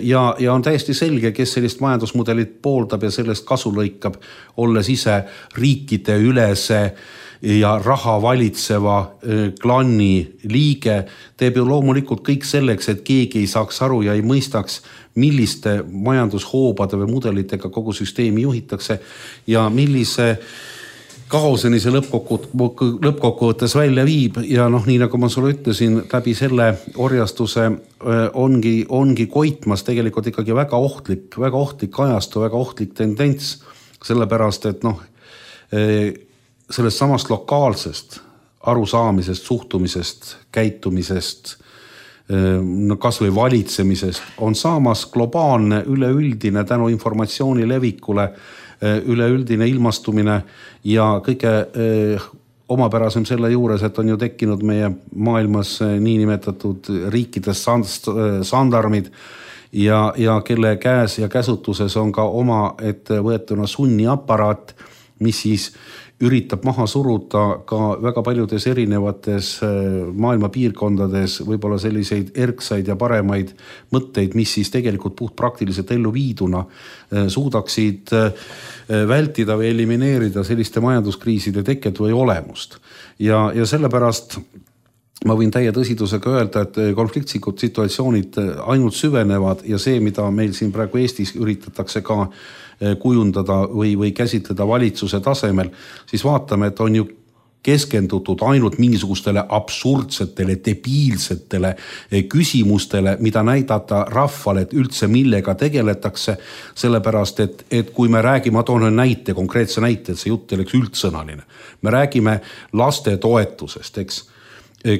Ja on täiesti selge, kes sellist majandusmudelit pooldab ja sellest kasu lõikab, olles ise riikide ülese ja raha valitseva klanni liige, teeb ju loomulikult kõik selleks, et keegi ei saaks aru ja ei mõistaks, milliste majandushoobade või mudelitega kogu süsteemi juhitakse ja millise kaoseni see lõppkokkuvõttes välja viib ja nii nagu ma sulle ütlesin, läbi selle orjastuse ongi koitmas tegelikult ikkagi väga ohtlik ajastu, väga ohtlik tendents, sellepärast, et sellest samast lokaalsest arusaamisest, suhtumisest, käitumisest, kas või valitsemisest on saamas globaalne, üleüldine tänu informatsiooni levikule, üleüldine ilmastumine ja kõige omapärasem selle juures, et on ju tekkinud meie maailmas niinimetatud riikides sandarmid ja kelle käes ja käsutuses on ka oma ette võetuna sunniaparaat, mis siis üritab maha suruda ka väga paljudes erinevates maailma piirkondades võib-olla selliseid erksaid ja paremaid mõtteid, mis siis tegelikult puhtpraktiliselt ellu viiduna suudaksid vältida või elimineerida selliste majanduskriiside teket või olemust. Ja sellepärast ma võin täie tõsidusega öelda, et konfliktsikud situatsioonid ainult süvenevad ja see, mida meil siin praegu Eestis üritatakse ka kujundada või käsitleda valitsuse tasemel, siis vaatame, et on ju keskendutud ainult mingisugustele absurdsetele, debiilsetele küsimustele, mida näidata rahvale, et üldse millega tegeletakse, sellepärast, et kui me räägime, ma toon näite, konkreetse näite, et see jutt oleks üldsõnaline. Me räägime laste toetusest, eks?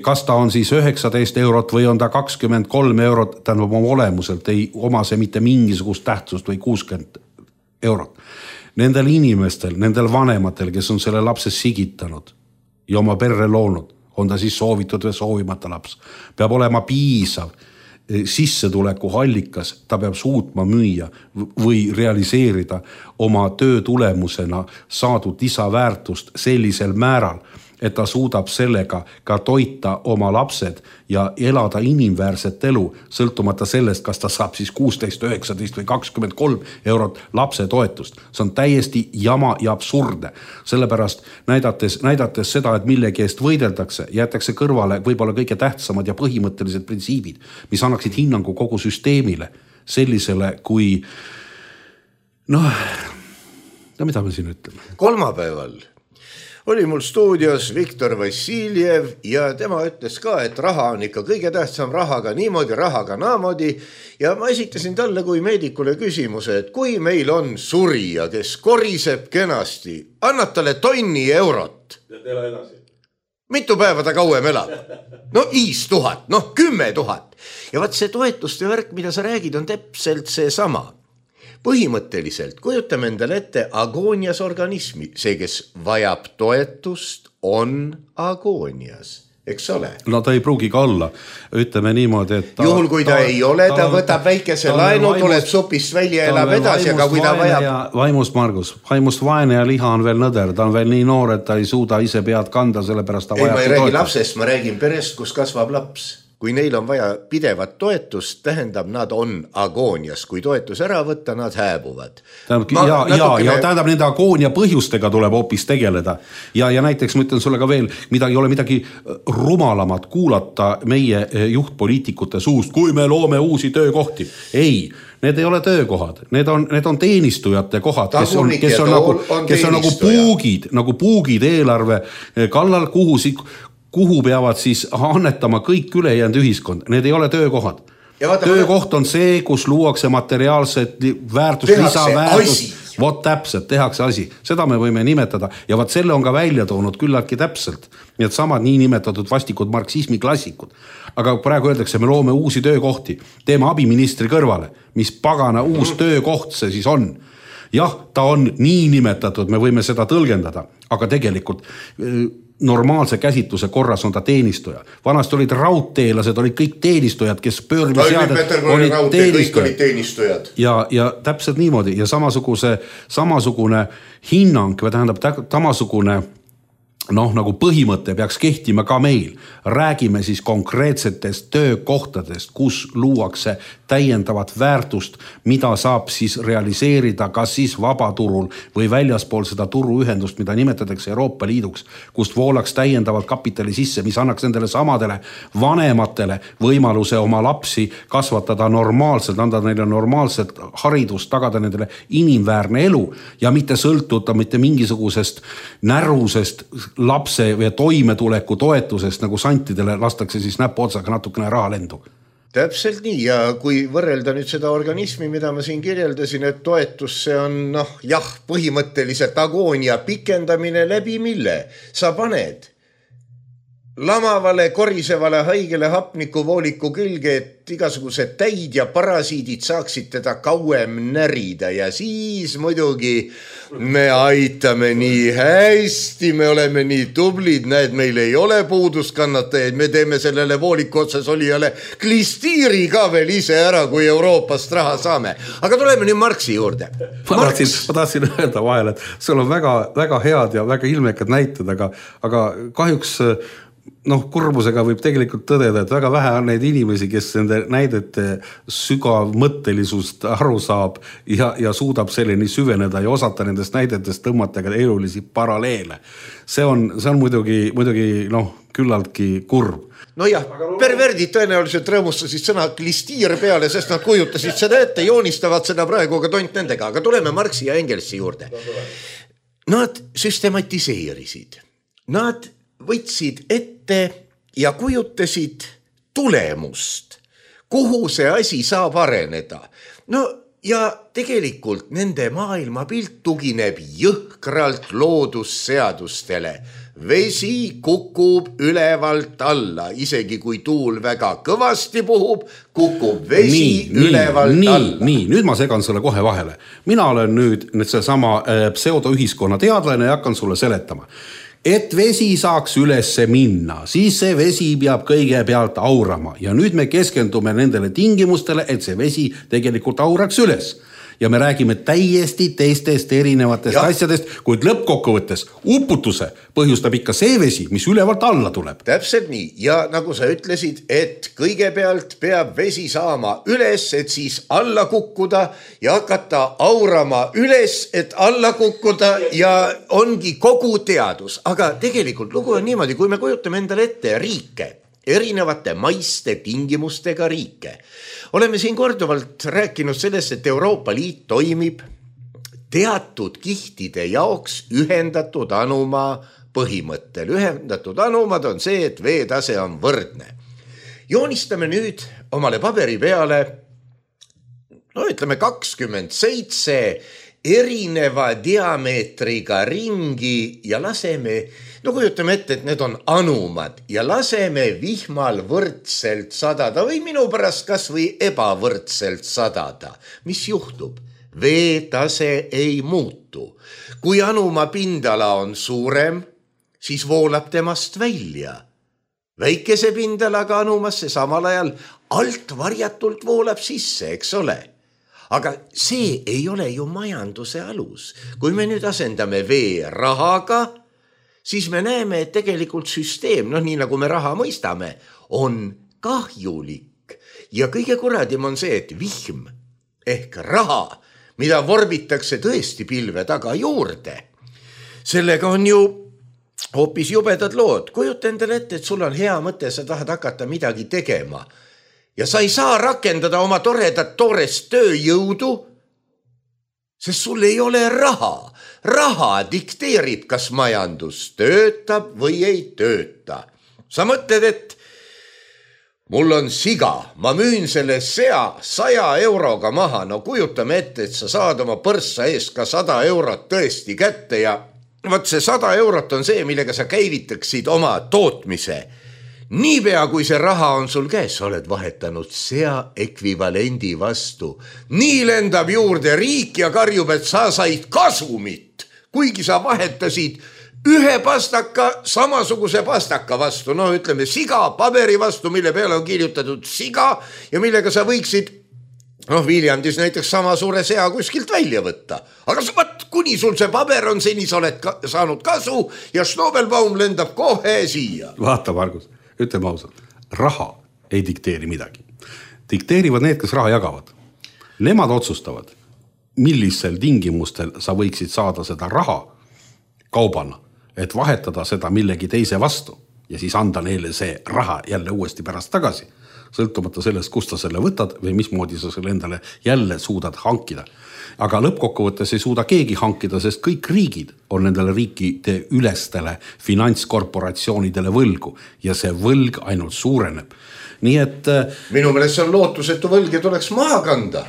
Kas ta on siis 19 eurot või on ta 23 eurot, tähendab oma olemuselt, ei oma see mitte mingisugust tähtsust või 60 eurot. Nendel inimestel, nendel vanematel, kes on selle lapse sigitanud ja oma perre loonud, on ta siis soovitud või soovimata laps, peab olema piisav sissetuleku allikas, ta peab suutma müüa või realiseerida oma töö tulemusena saadud lisaväärtust sellisel määral, et ta suudab sellega ka toita oma lapsed ja elada inimväärset elu, sõltumata sellest, kas ta saab siis 16, 19 või 23 eurot lapse toetust. See on täiesti jama ja absurdne. Sellepärast näidates seda, et millegi eest võideldakse, jäetakse kõrvale võib-olla kõige tähtsamad ja põhimõttelised printsiibid, mis annaksid hinnangu kogu süsteemile sellisele kui mida me siin ütleme? Kolmapäeval oli mul stuudios Viktor Vassiljev ja tema ütles ka, et raha on ikka kõige tähtsam, rahaga niimoodi, rahaga naamoodi. Ja ma esitasin talle kui meedikule küsimuse, et kui meil on surija, kes koriseb kenasti, annab talle 1 eurot. Ja ela edasi. Mitu päeva ta kauem elab? 5000, 10 000. Ja vaat see toetuste värk, mida sa räägid, on täpselt see sama. Põhimõtteliselt kujutame endale ette agoonias organismi. See, kes vajab toetust, on agoonias. Eks ole? No ta ei pruugi ka olla. Ütleme niimoodi, et juhul kui ta ei ole, ta võtab väikese laenu, tuleb supist välja ja elab edasi, aga kui ta vajab... Vaimust, Margus, vaimust vaene ja liha on veel nõder. Ta on veel nii noor, et ta ei suuda ise pead kanda, sellepärast ta vajab toetust. Ei, ma ei räägi lapsest, ma räägin perest, kus kasvab laps. Kui neil on vaja pidevat toetust, tähendab, nad on agoonias. Kui toetus ära võtta, nad hääbuvad. Ja tähendab, nende agoonia põhjustega tuleb hoopis tegeleda. Ja näiteks ma ütlen sulle ka veel, ei ole midagi rumalamat kuulata meie juhtpoliitikute suust, kui me loome uusi töökohti. Ei, need ei ole töökohad. Need on teenistujate kohad, kes on nagu puugid eelarve kallal, kuhu peavad siis annetama kõik ülejäänud ühiskond. Need ei ole töökohad. Töökoht on see, kus luuakse materiaalset väärtust, lisaväärtust. Vot täpselt, tehakse asi. Seda me võime nimetada. Ja vaat selle on ka välja toonud küllaltki täpselt. Need samad nii nimetatud vastikud marksismi klassikud. Aga praegu öeldakse, me loome uusi töökohti. Teeme abiministri kõrvale. Mis pagana uus töökoht see siis on? Jah, ta on nii nimetatud, me võime seda tõlgendada, aga tegelikult normaalse käsitluse korras on ta teenistuja. Vanasti olid raudteelased, olid kõik teenistujad, kes pöörmiseadet olid teenistujad. Ja täpselt niimoodi ja samasugune hinnang, või tähendab samasugune nagu põhimõte peaks kehtima ka meil. Räägime siis konkreetsetest töökohtadest, kus luuakse täiendavat väärtust, mida saab siis realiseerida kas siis vabaturul või väljaspool seda turuühendust, mida nimetatakse Euroopa Liiduks, kust voolaks täiendavalt kapitali sisse, mis annaks nendele samadele vanematele võimaluse oma lapsi kasvatada normaalselt, anda neile normaalset haridust, tagada nendele inimväärne elu ja mitte sõltuda mitte mingisugusest närusest lapse või toimetuleku toetusest, nagu santidele lastakse siis näpuotsaga natukene raha lendu. Täpselt nii ja kui võrrelda nüüd seda organismi, mida ma siin kirjeldasin, et toetus see on põhimõtteliselt agoonia pikendamine läbi mille sa paned lamavale, korisevale, haigele hapnikuvooliku külge, et igasugused täid ja parasiidid saaksid teda kauem närida ja siis muidugi me aitame nii hästi, me oleme nii tublid, näed, meil ei ole puuduskannatajaid, me teeme sellele vooliku otsas olijale klistiiri ka veel ise ära, kui Euroopast raha saame. Aga tuleme nüüd Marxi juurde. Ma tahtsin öelda vahel, et sul on väga, väga head ja väga ilmekad näited, aga kahjuks kurbusega võib tegelikult tõdeda, et väga vähe on neid inimesi, kes nende näidete sügav mõttelisust aru saab ja suudab selleni süveneda ja osata nendest näidetest tõmmata ka elulisi paralleele. See on muidugi küllaltki kurb. Nojah, perverdid tõenäoliselt rõõmustasid sõna klistiir peale, sest nad kujutasid seda ette, joonistavad seda praegu ka tont nendega, aga tuleme Marxi ja Engelsi juurde. Nad süstematiseerisid. Nad võtsid ette ja kujutasid tulemust, kuhu see asi saab areneda. Ja tegelikult nende maailmapilt tugineb jõhkralt loodusseadustele. Vesi kukub ülevalt alla, isegi kui tuul väga kõvasti puhub, kukub vesi ülevalt alla. Nii, nüüd ma segan sulle kohe vahele. Mina olen nüüd seesama pseudoühiskonna teadlane ja hakkan sulle seletama. Et vesi saaks ülesse minna, siis see vesi peab kõigepealt aurama ja nüüd me keskendume nendele tingimustele, et see vesi tegelikult auraks üles. Ja me räägime täiesti teistest erinevatest asjadest, kuid lõppkokkuvõttes uputuse põhjustab ikka see vesi, mis ülevalt alla tuleb. Täpselt nii. Ja nagu sa ütlesid, et kõigepealt peab vesi saama üles, et siis alla kukkuda ja hakata aurama üles, et alla kukkuda ja ongi kogu teadus. Aga tegelikult lugu on niimoodi, kui me kujutame endale ette riike, erinevate maiste tingimustega riike. Oleme siin korduvalt rääkinud sellest, et Euroopa Liit toimib teatud kihtide jaoks ühendatud anuma põhimõttel. Ühendatud anumad on see, et veetase on võrdne. Joonistame nüüd omale paberi peale, ütleme 27 erineva diameetriga ringi ja laseme, kujutame ette, et need on anumad ja laseme vihmal võrdselt sadada või minu pärast kas või ebavõrdselt sadada. Mis juhtub? Veetase ei muutu. Kui anuma pindala on suurem, siis voolab temast välja. Väikese pindalaga anumasse samal ajal alt varjatult voolab sisse, eks ole? Aga see ei ole ju majanduse alus. Kui me nüüd asendame vee rahaga, siis me näeme, et tegelikult süsteem, nii nagu me raha mõistame, on kahjulik. Ja kõige kuradim on see, et vihm ehk raha, mida vorbitakse tõesti pilve taga juurde, sellega on ju hoopis jubedad lood. Kujuta endale ette, et sul on hea mõte, sa tahad hakata midagi tegema. Ja sa ei saa rakendada oma toredat toorest tööjõudu, sest sul ei ole raha. Raha dikteerib, kas majandus töötab või ei tööta. Sa mõtled, et mul on siga, ma müün selle sea 100 euroga maha. Kujutame ette, et sa saad oma põrssa eest ka 100 eurot tõesti kätte ja see 100 eurot on see, millega sa käivitaksid oma tootmise. niipea kui see raha on sul käes, sa oled vahetanud sea ekvivalendi vastu. Nii lendab juurde riik ja karjub, et sa said kasumit, kuigi sa vahetasid ühe pastaka samasuguse pastaka vastu, ütleme siga paberi vastu, mille peale on kirjutatud siga ja millega sa võiksid Viljandis näiteks sama suure sea kuskilt välja võtta. Aga kuni sul see paber on, seni sa oled saanud kasu ja Schnobelbaum lendab kohe siia. Vaata, Margus, ütleme ausalt, raha ei dikteeri midagi. Dikteerivad need, kes raha jagavad. Nemad otsustavad, millisel tingimustel sa võiksid saada seda raha kaubana, et vahetada seda millegi teise vastu ja siis anda neile see raha jälle uuesti pärast tagasi, sõltumata sellest, kust sa selle võtad või mismoodi sa selle endale jälle suudad hankida. Aga lõppkokkuvõttes ei suuda keegi hankida, sest kõik riigid on nendele riikide ülestele finantskorporatsioonidele võlgu ja see võlg ainult suureneb. Nii et minu meelest see on lootusetu võlg ja tuleks maha kanda.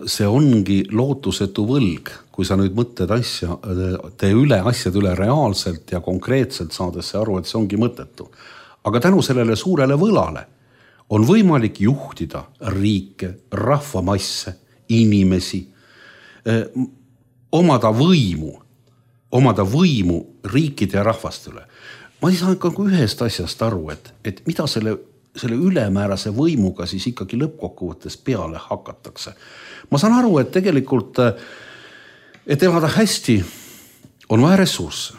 See ongi lootusetu võlg, kui sa nüüd mõtled asjad üle reaalselt ja konkreetselt saades see aru, et see ongi mõttetu. Aga tänu sellele suurele võlale on võimalik juhtida riike, rahvamasse, inimesi, omada võimu riikide ja rahvaste üle. Ma ei saa ühest asjast aru, et mida selle ülemäärase võimuga siis ikkagi lõppkokkuvõttes peale hakatakse. Ma saan aru, et tegelikult, et elada hästi, on vaja ressursse.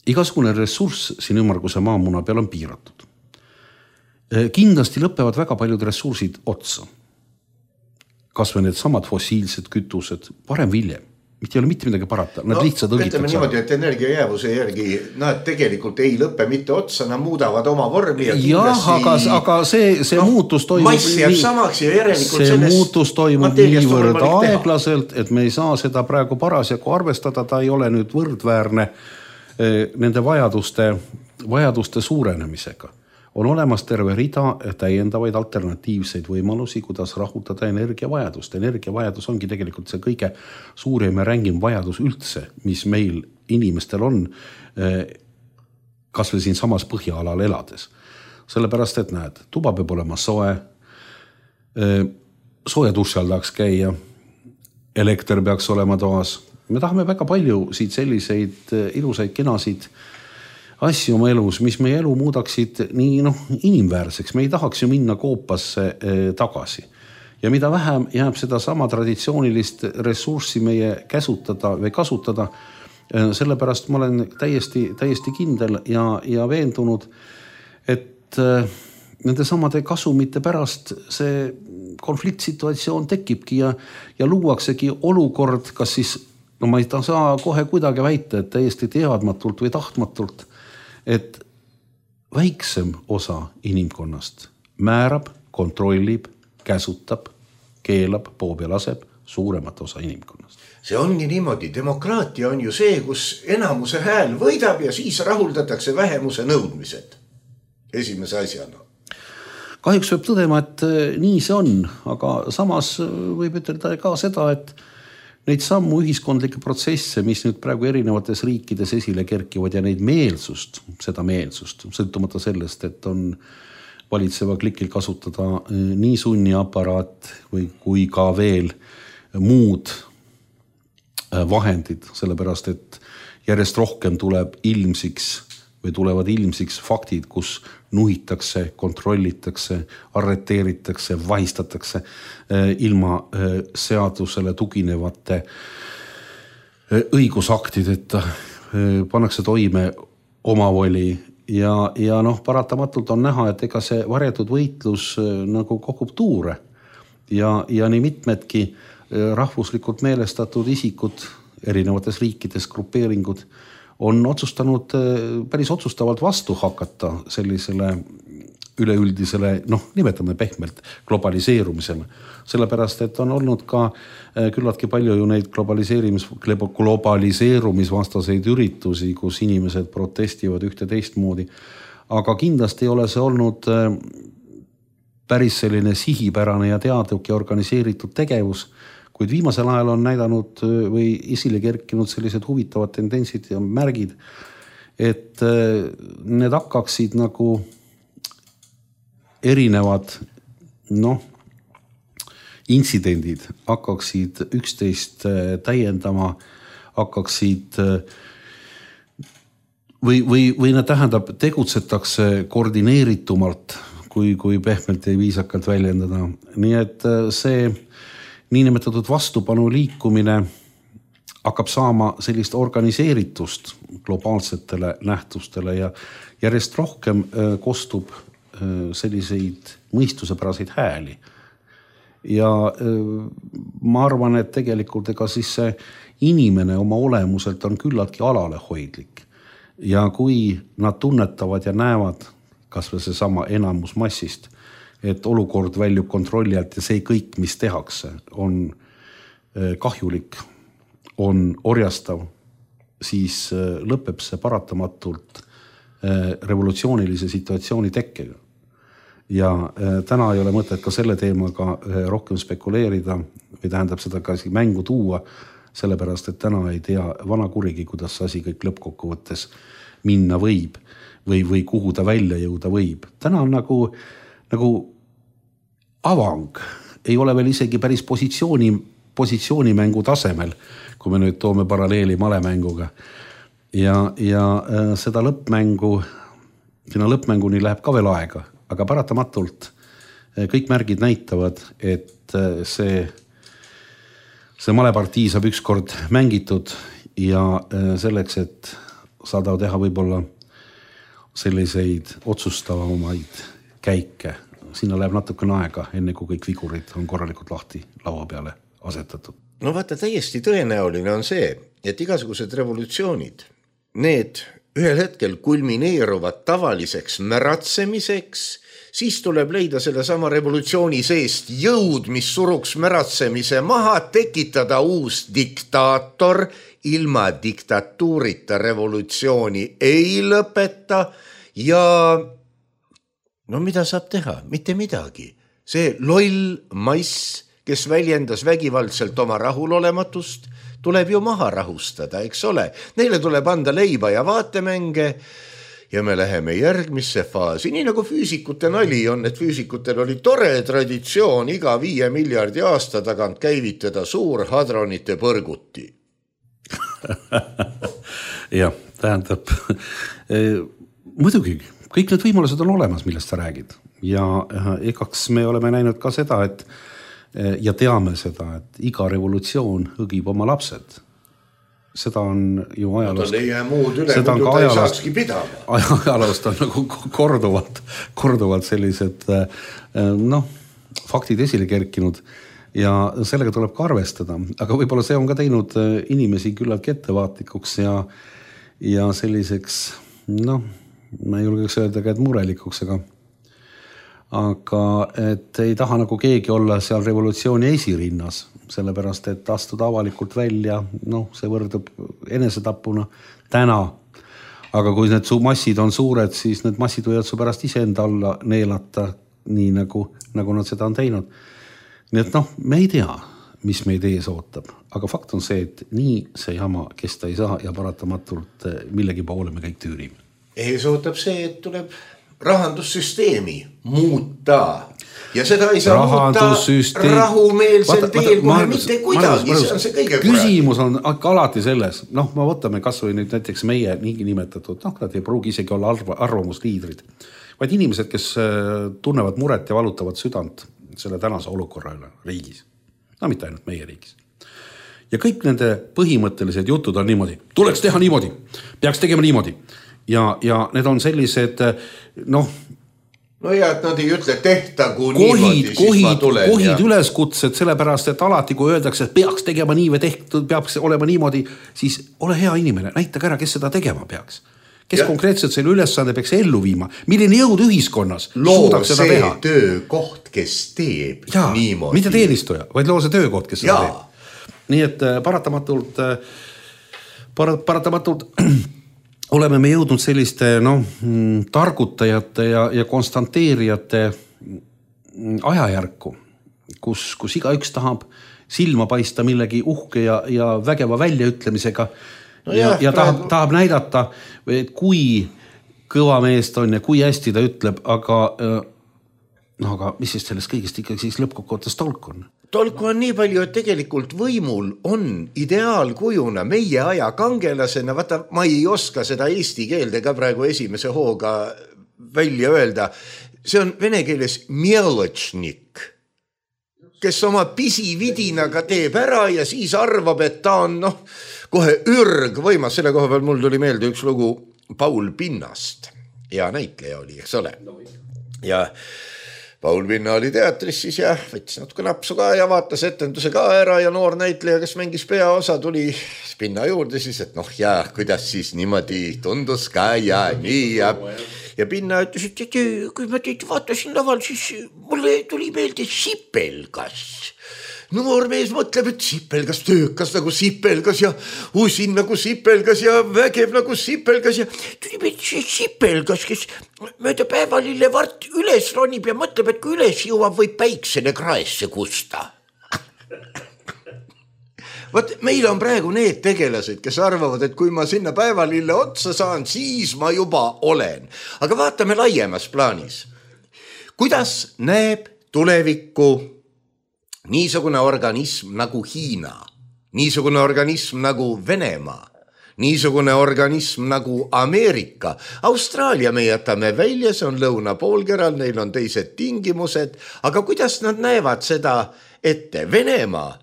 Igasugune ressurss siin ümmarguse maamuna peal on piiratud. Kindlasti lõpevad väga paljud ressursid otsa. Kas või need samad fossiilsed kütused, parem viljem. Mitte ei ole mitte midagi parata, nad lihtsalt õgitakse. Ütleme niimoodi, et energiajäävuse järgi nad tegelikult ei lõppe mitte otsa, nad muudavad oma vormi ja kindlasti... aga see muutus toimub... Mass jääb samaks ja järelikult see muutus toimub niivõrd aeglaselt, et me ei saa seda praegu parasjagu arvestada, ta ei ole nüüd võrdväärne nende vajaduste suurenemisega. On olemas terve rida täiendavaid alternatiivseid võimalusi, kuidas rahuldada energiavajadust. Energiavajadus ongi tegelikult see kõige suurem ja rängim vajadus üldse, mis meil inimestel on, kas või siin samas põhjaalal elades. Sellepärast, et näed, tuba peab olema soe, sooja duši all tahaks käia, elekter peaks olema toas. Me tahame väga palju siit selliseid ilusaid kenasid asju oma elus, mis meie elu muudaksid nii inimväärseks. Me ei tahaks ju minna koopasse tagasi. Ja mida vähem jääb seda sama traditsioonilist ressurssi meie käsutada või kasutada, sellepärast ma olen täiesti kindel ja veendunud, et nende samade kasumite pärast see konfliktsituatsioon tekibki ja luuaksegi olukord, kas siis, ma ei saa kohe kuidagi väita, et täiesti teadmatult või tahtmatult, et väiksem osa inimkonnast määrab, kontrollib, käsutab, keelab, poob ja laseb suuremat osa inimkonnast. See ongi niimoodi. Demokraatia on ju see, kus enamuse hääl võidab ja siis rahuldatakse vähemuse nõudmised. Esimese asjana. Kahjuks võib tõdema, et nii see on, aga samas võib ütelda ka seda, et neid sammu ühiskondlikke protsesse, mis nüüd praegu erinevates riikides esile kerkivad ja neid meelsust, sõltumata sellest, et on valitseva klikil kasutada nii sunniaparaat või kui ka veel muud vahendid, sellepärast et järjest rohkem tulevad ilmsiks faktid, kus nuhitakse, kontrollitakse, arreteeritakse, vahistatakse ilma seadusele tuginevate õigusaktideta, pannakse toime omavoli ja paratamatult on näha, et ega see varjatud võitlus nagu kogub tuure ja nii mitmedki rahvuslikult meelestatud isikud erinevates riikides, grupeeringud on otsustanud päris otsustavalt vastu hakata sellisele üleüldisele, nimetame pehmelt, globaliseerumisele. Sellepärast, et on olnud ka küllaltki palju ju neid globaliseerumisvastaseid üritusi, kus inimesed protestivad ühte teistmoodi. Aga kindlasti ei ole see olnud päris selline sihipärane ja teadlik ja organiseeritud tegevus, kuid viimasel ajal on näidanud või esile kerkinud sellised huvitavad tendentsid ja märgid, et need hakkaksid nagu erinevad intsidendid hakkaksid üksteist täiendama, hakkaksid või nad tähendab, tegutsetakse koordineeritumalt, kui pehmelt ja viisakalt väljendada. Nii et see niinimetatud vastupanu liikumine hakkab saama sellist organiseeritust globaalsetele nähtustele ja järjest rohkem kostub selliseid mõistusepäraseid hääli. Ja ma arvan, et tegelikult ega siis see inimene oma olemuselt on küllaltki alalehoidlik. Ja kui nad tunnetavad ja näevad kas või see sama enamus massist, et olukord väljub kontrolli alt ja see kõik, mis tehakse, on kahjulik, on orjastav, siis lõpeb see paratamatult revolutsioonilise situatsiooni tekkega. Ja täna ei ole mõtet ka selle teemaga rohkem spekuleerida või tähendab seda ka mängu tuua, sellepärast, et täna ei tea vana kurigi, kuidas asi kõik lõppkokkuvõttes minna võib või kuhu ta välja jõuda võib. Täna on nagu avang, ei ole veel isegi päris positsioonimängu tasemel, kui me nüüd toome paralleeli malemänguga. Ja seda sinna lõppmänguni läheb ka veel aega, aga paratamatult kõik märgid näitavad, et see malepartii saab ükskord mängitud ja selleks, et saada teha võib-olla selliseid otsustavamaid käike. Sinna läheb natukene aega, enne kui kõik vigurid on korralikult lahti laua peale asetatud. No vaata, täiesti tõenäoline on see, et igasugused revolutsioonid, need ühel hetkel kulmineeruvad tavaliseks märatsemiseks, siis tuleb leida selle sama revolutsiooni seest jõud, mis suruks märatsemise maha, tekitada uus diktaator, ilma diktatuurita revolutsiooni ei lõpeta ja no mida saab teha? Mitte midagi. See loll mass, kes väljendas vägivaldselt oma rahulolematust, tuleb ju maha rahustada, eks ole. Neile tuleb anda leiba ja vaatemänge ja me läheme järgmisse faasi. Nii nagu füüsikute nali on, et füüsikutel oli tore traditsioon iga 5 miljardi aasta tagant käivitada suur hadronite põrguti. Jah, tähendab, muidugi, kõik need võimalused on olemas, millest sa räägid. Ja ekaks me oleme näinud ka seda, ja teame seda, et iga revolutsioon õgib oma lapsed. Seda on ju ajaloost. Ei jää muud üle, muidu ta ei saakski pidama. Ajaloost on nagu korduvalt sellised faktid esile kerkinud ja sellega tuleb ka arvestada. Aga võib-olla see on ka teinud inimesi küllaltki ettevaatlikuks ja selliseks, ma ei julgeks öelda ka, et murelikuks, aga et ei taha nagu keegi olla seal revolutsiooni esirinnas, sellepärast, et astuda avalikult välja, see võrdub enesetapuna täna. Aga kui need massid on suured, siis need massid võivad su pärast iseenda alla neelata, nii nagu nad seda on teinud. Nii et me ei tea, mis meid ees ootab, aga fakt on see, et nii see jama kesta ei saa ja paratamatult millegi poole me kõik tüürime. Ees ootab see, et tuleb rahandussüsteemi muuta ja seda ei saa muuta rahumeelsel teel kohe mitte kuidagi, see on see kõige küsimus on alati selles, me võtame kas või nüüd näiteks meie niigi nimetatud, nad ei pruugi isegi olla arvamusliidrid, vaid inimesed, kes tunnevad muret ja valutavad südant selle tänase olukorra üle riigis. Mitte ainult meie riigis. Ja kõik nende põhimõttelised jutud on niimoodi. Tuleks teha niimoodi, peaks tegema niimoodi. Ja need on sellised, no ja, et nad ei ütle tehtagu niimoodi, siis ma tulen. Kohid üleskutsed, sellepärast, et alati kui öeldakse, et peaks tegema nii või tehtud, peaks olema niimoodi, siis ole hea inimene, näita ära, kes seda tegema peaks. Kes konkreetselt selle ülesande peaks ellu viima, milline jõud ühiskonnas suudaks seda teha. Loo see töökoht, kes teeb niimoodi. Mitte teenistuja, vaid loo see töökoht, kes seda teeb. Nii et paratamatult oleme me jõudnud selliste targutajate ja konstanteerijate ajajärku, kus igaüks tahab silma paista millegi uhke ja vägeva väljaütlemisega ja tahab näidata, et kui kõva meest on ja kui hästi ta ütleb, aga No aga mis siis sellest kõigest ikkagi siis lõppkokkuvõttes tolku on? Tolku on nii palju, et tegelikult võimul on ideaalkujuna meie aja kangelasena, vaata, ma ei oska seda eesti keelde ka praegu esimese hooga välja öelda. See on vene keeles mieločnik, kes oma pisividinaga teeb ära ja siis arvab, et ta on kohe ürg võimas. Selle koha peal mul tuli meelde üks lugu Paul Pinnast. Ja näitleja oli, eks ole. Ja Paul Pinna oli teatris siis ja võttis natuke napsu ka ja vaatas etenduse ka ära ja noor näitleja, kes mängis peaosa, tuli Pinna juurde siis, et kuidas siis niimoodi tundus ka ja nii ja Pinna ütles, et kui ma teid vaatasin laval, siis mulle tuli meelde sipelgas. Noor mees mõtleb, et sipelgas, töökas nagu sipelgas ja usin nagu sipelgas ja vägev nagu sipelgas ja tuli meelde see sipelgas, kes mööda päevalille vart üles ronib ja mõtleb, et kui üles jõuab, võib päiksele kraesse kusta. Võt, meil on praegu need tegelased, kes arvavad, et kui ma sinna päevalille otsa saan, siis ma juba olen. Aga vaatame laiemas plaanis. Kuidas näeb tulevikku niisugune organism nagu Hiina, niisugune organism nagu Venemaa, niisugune organism nagu Ameerika. Austraalia me jätame välja, see on lõunapoolkeral, neil on teised tingimused, aga kuidas nad näevad seda ette? Venemaa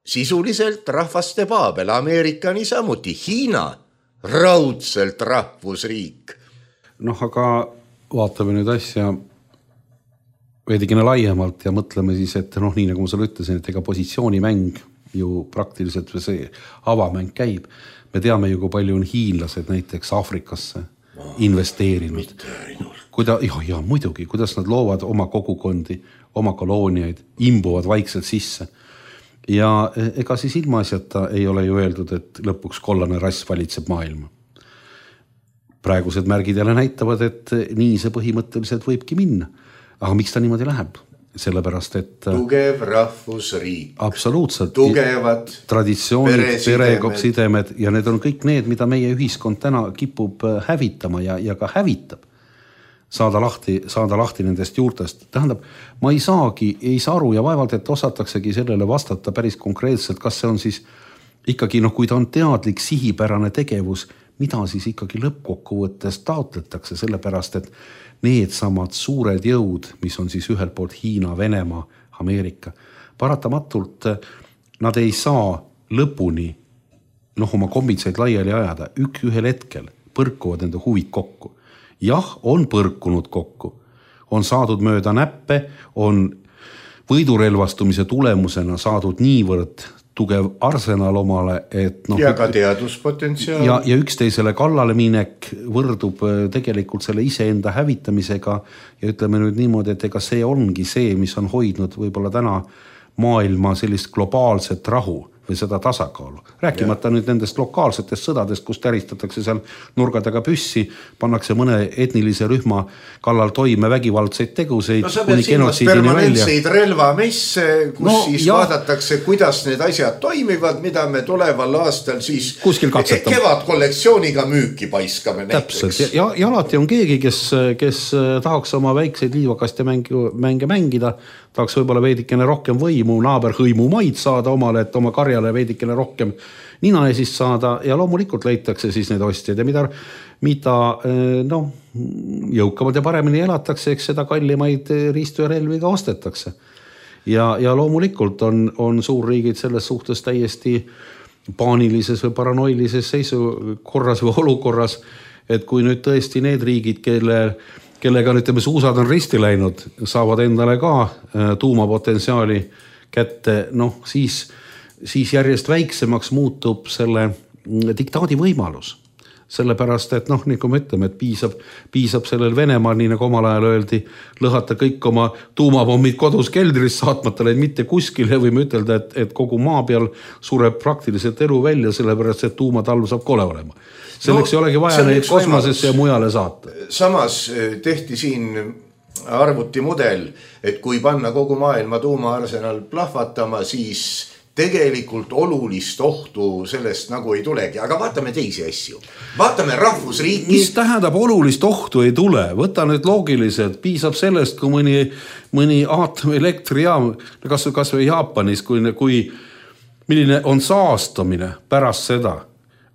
sisuliselt rahvaste paabel, Ameerika niisamuti, Hiina raudselt rahvusriik. Aga vaatame nüüd asja veidikene laiemalt ja mõtleme siis, et nii nagu ma sulle ütlesin, et ega positsioonimäng ju praktiliselt või see avamäng käib. Me teame ju, kui palju on hiinlased näiteks Aafrikasse investeerinud. Ja muidugi, kuidas nad loovad oma kogukondi, oma kolooniaid, imbuvad vaikselt sisse. Ja ega siis ilmaasjata ei ole ju öeldud, et lõpuks kollane rass valitseb maailma. Praegused märgid jälle näitavad, et nii see põhimõtteliselt võibki minna. Aga miks ta niimoodi läheb? Sellepärast, et tugev rahvusriik. Absoluutselt. Tugevad traditsioonid, peresidemed ja need on kõik need, mida meie ühiskond täna kipub hävitama ja ka hävitab. Saada lahti nendest juurtest. Tähendab, ma ei saa aru ja vaevalt, et osataksegi sellele vastata päris konkreetselt, kas see on siis ikkagi, kui ta on teadlik sihipärane tegevus, mida siis ikkagi lõppkokkuvõttes taotletakse, sellepärast, et need samad suured jõud, mis on siis ühelt poolt Hiina, Venemaa, Ameerika, paratamatult nad ei saa lõpuni oma kombitseid laiali ajada. Ühel hetkel põrkuvad enda huvid kokku. Jah, on põrkunud kokku. On saadud mööda näppe, on võidurelvastumise tulemusena saadud niivõrd tugev arsenal omale, et ja ka teaduspotentsiaal. Ja üksteisele kallale minek võrdub tegelikult selle iseenda hävitamisega ja ütleme nüüd niimoodi, et ega see ongi see, mis on hoidnud võib-olla täna maailma sellist globaalset rahu või seda tasakaalu. Rääkimata nüüd nendest lokaalsetest sõdadest, kus täristatakse seal nurgadega püssi, pannakse mõne etnilise rühma kallal toime vägivaldseid teguseid. Sa pead silmas permanentseid relvamesse, kus siis vaadatakse, kuidas need asjad toimivad, mida me tuleval aastal siis kevad kollektsiooniga müüki paiskame näiteks. Täpselt, ja alati on keegi, kes tahaks oma väikseid liivakaste mänge mängida, tahaks võib-olla veidikene rohkem võimu, naaberhõimu maid saada omale, et oma karjale veidikene rohkem nina esist saada ja loomulikult leitakse siis need ostjad ja mida jõukamad ja paremini elatakse, eks seda kallimaid riistu ja relvi ka ostetakse. Ja loomulikult on suurriigid selles suhtes täiesti paanilises või paranoilises seisukorras või olukorras, et kui nüüd tõesti need riigid, kellega nüüd suusad on risti läinud, saavad endale ka tuumapotentsiaali kätte, siis järjest väiksemaks muutub selle diktaadi võimalus. Sellepärast, et nii kui me ütleme, et piisab sellel Venemaal, nii nagu omal ajal öeldi, lõhata kõik oma tuumapommid kodus keldris saatmata neid mitte kuskile, võime ütelda, et kogu maa peal sureb praktiliselt elu välja, sellepärast, et tuumatalv saab kole olema. Selleks ei olegi vaja neid kosmosesse ja mujale saata. Samas tehti siin arvutimudel, et kui panna kogu maailma tuumaarsenal plahvatama, siis tegelikult olulist ohtu sellest nagu ei tulegi, aga vaatame teisi asju. Vaatame rahvusriiki. Mis tähendab olulist ohtu ei tule? Võta nüüd loogiliselt, piisab sellest, kui mõni aatomilektrijaam, kas või Jaapanis, kui milline on saastamine pärast seda.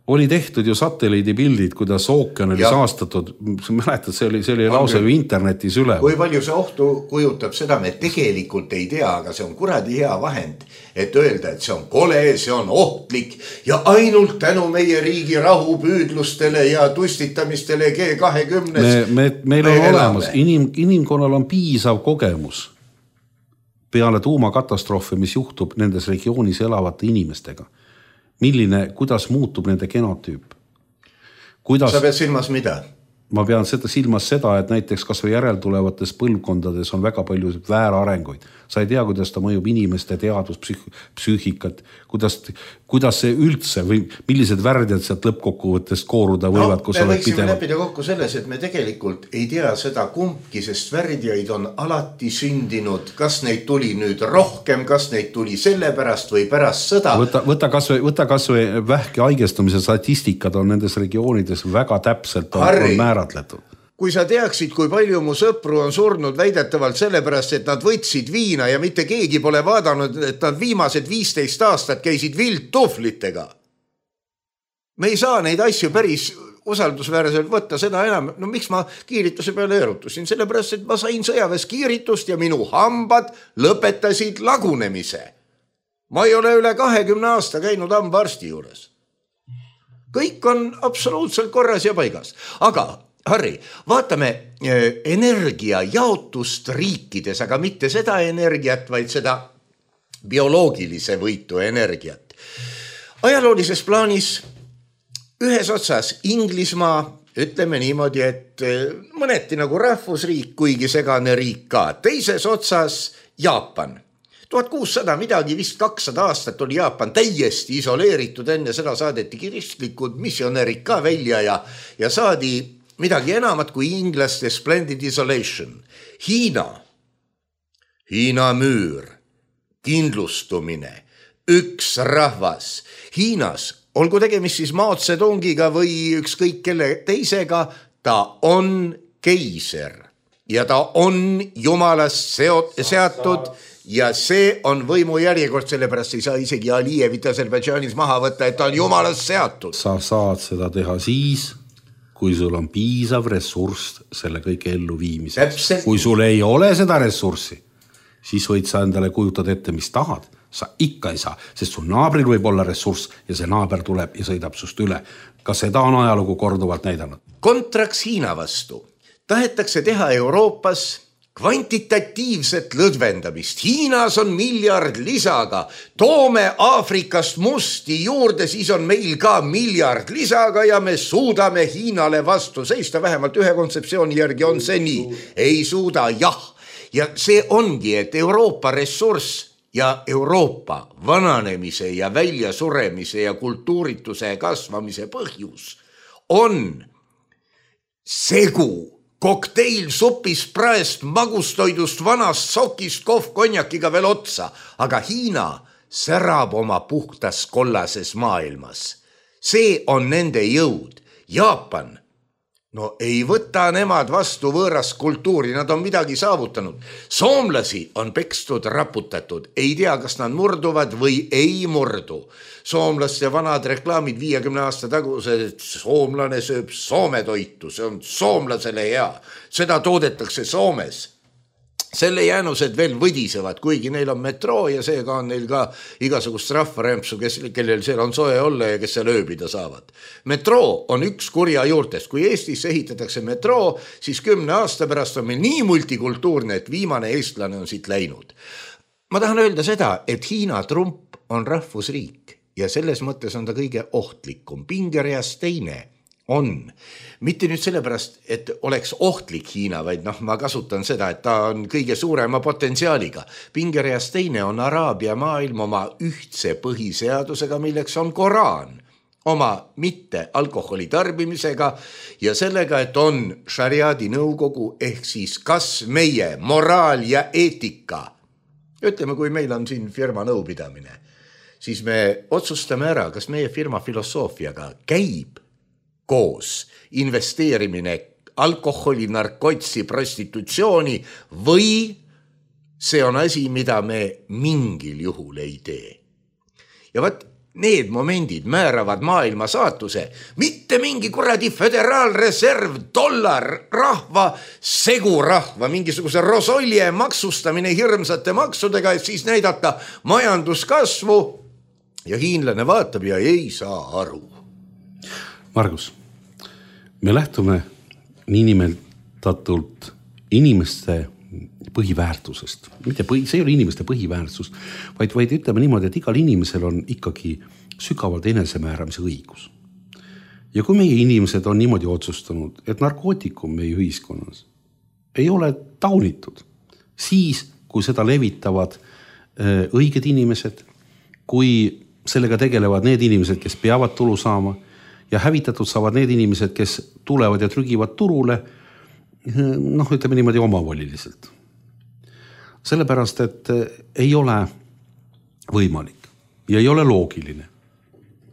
Oli tehtud ju satelliidipildid, kuidas ookean oli saastatud. Mäletad, see oli lause ju internetis üle. Kui palju see ohtu kujutab, seda me tegelikult ei tea, aga see on kuradi hea vahend, et öelda, et see on kole, see on ohtlik ja ainult tänu meie riigi rahupüüdlustele ja tustitamistele G20. Meil on olemas, inimkonnal on piisav kogemus peale tuumakatastroofi, mis juhtub nendes regioonis elavate inimestega. Kuidas muutub nende genotüüp? Sa pead silmas mida? Ma pean silmas seda, et näiteks kas või järeltulevates põlvkondades on väga palju väärarenguid. Sa ei tea, kuidas ta mõjub inimeste teaduspsüühikat, kuidas see üldse või millised värdjad sealt lõppkokkuvõttest kooruda võivad, kus oled võiksime läbida kokku selles, et me tegelikult ei tea seda kumbki, sest värdjaid on alati sündinud. Kas neid tuli nüüd rohkem, kas neid tuli selle pärast või pärast sõda? Võta kas või vähki haigestumise statistikad on nendes regioonides väga täpselt on määratletud. Kui sa teaksid, kui palju mu sõpru on surnud väidetavalt sellepärast, et nad võtsid viina ja mitte keegi pole vaadanud, et nad viimased 15 aastat käisid vildtuhvlitega. Me ei saa neid asju päris usaldusväärselt võtta seda enam. No miks ma kiirituse peale erutusin? Sellepärast, et ma sain sõjaväes kiiritust ja minu hambad lõpetasid lagunemise. Ma ei ole üle 20 aasta käinud hambaarsti juures. Kõik on absoluutselt korras ja paigas. Aga Harri, vaatame energia jaotust riikides, aga mitte seda energiat, vaid seda bioloogilise võitu energiat. Ajaloolises plaanis ühes otsas Inglismaa, ütleme niimoodi, et mõneti nagu rahvusriik, kuigi segane riik ka. Teises otsas Jaapan. 1600 midagi, vist 200 aastat oli Jaapan täiesti isoleeritud, enne seda saadeti kiristlikud missionärid ka välja ja saadi midagi enamat kui inglaste splendid isolation. Hiina müür, kindlustumine, üks rahvas. Hiinas, olgu tegemist siis Mao Zedongiga või ükskõik kelle teisega, ta on keiser ja ta on jumalast seatud ja see on võimu järjekord, sellepärast ei saa isegi Alijevit Aserbaidžaanis maha võtta, et ta on jumalast seatud. Sa saad seda teha siis, kui sul on piisav ressurss selle kõige ellu viimiseks. Kui sul ei ole seda ressurssi, siis võid sa endale kujutada ette, mis tahad. Sa ikka ei saa, sest sul naabril võib olla ressurss ja see naaber tuleb ja sõidab sust üle. Kas seda on ajalugu korduvalt näidanud? Kontraks Hiina vastu tahetakse teha Euroopas kvantitatiivset lõdvendamist. Hiinas on 1 miljard lisaga. Toome Aafrikast musti juurde, siis on meil ka 1 miljard lisaga ja me suudame Hiinale vastu seista. Vähemalt ühe kontseptsiooni järgi on see nii. Ei suuda, jah. Ja see ongi, et Euroopa ressurss ja Euroopa vananemise ja väljasuremise ja kultuurituse kasvamise põhjus on segu. Kokteil supis praest, magustoidust, vanast sokist, konjakiga veel otsa, aga Hiina särab oma puhtas kollases maailmas. See on nende jõud. Jaapan, no ei võta nemad vastu võõrast kultuuri, nad on midagi saavutanud. Soomlasi on pekstud, raputatud, ei tea, kas nad murduvad või ei murdu. Soomlaste vanad reklaamid 50 aasta tagused, et soomlane sööb Soome toitu, see on soomlasele hea. Seda toodetakse Soomes. Selle jäänused veel võdisevad, kuigi neil on metroo ja seega on neil ka igasugust rahvarämpsu, kellel seal on soe olla ja kes seal ööbida saavad. Metroo on üks kurja juurtest. Kui Eestis ehitatakse metroo, siis 10 aasta pärast on meil nii multikultuurne, et viimane eestlane on siit läinud. Ma tahan öelda seda, et Hiina Trump on rahvusriik ja selles mõttes on ta kõige ohtlikum. Pingereas teine on. Mitte nüüd sellepärast, et oleks ohtlik Hiina, vaid ma kasutan seda, et ta on kõige suurema potentsiaaliga. Pingereas teine on Araabia maailm oma ühtse põhiseadusega, milleks on Koraan, oma mitte alkoholi tarbimisega ja sellega, et on šariaadi nõukogu ehk siis kas meie moraal ja eetika. Ütleme, kui meil on siin firma nõupidamine, siis me otsustame ära, kas meie firma filosoofiaga käib koos investeerimine alkoholi, narkotsi, prostitutsiooni või see on asi, mida me mingil juhul ei tee. Ja võt, need momendid määravad maailma saatuse, mitte mingi kuradi föderaalreserv, dollar, rahva, segurahva, mingisuguse rosolje maksustamine hirmsate maksudega, et siis näidata majanduskasvu ja hiinlane vaatab ja ei saa aru. Margus, me lähtume niinimetatult inimeste põhiväärtusest. See ei ole inimeste põhiväärtus, vaid ütleme niimoodi, et igal inimesel on ikkagi sügavalt enesemääramise õigus. Ja kui meie inimesed on niimoodi otsustanud, et narkootikum meie ühiskonnas ei ole taunitud, siis kui seda levitavad õiged inimesed, kui sellega tegelevad need inimesed, kes peavad tulu saama ja hävitatud saavad need inimesed, kes tulevad ja trügivad turule, ütleme niimoodi omavoliliselt. Sellepärast, et ei ole võimalik ja ei ole loogiline,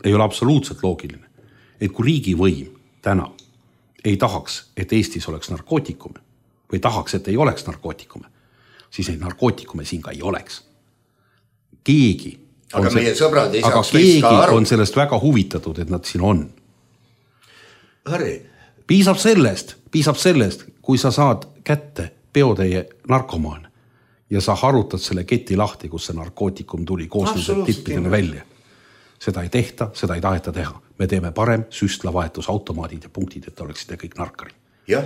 ei ole absoluutselt loogiline, et kui riigivõim täna ei tahaks, et Eestis oleks narkootikume või tahaks, et ei oleks narkootikume, siis neid narkootikume siin ka ei oleks. Keegi on sellest väga huvitatud, et nad siin on. Harri. Piisab sellest, kui sa saad kätte peotäie narkomaane ja sa harutad selle keti lahti, kus see narkootikum tuli koos nende tippidele välja. Seda ei tehta, seda ei taheta teha. Me teeme parem süstlavahetusautomaadid ja punktid, et oleksid kõik narkarid. Ja.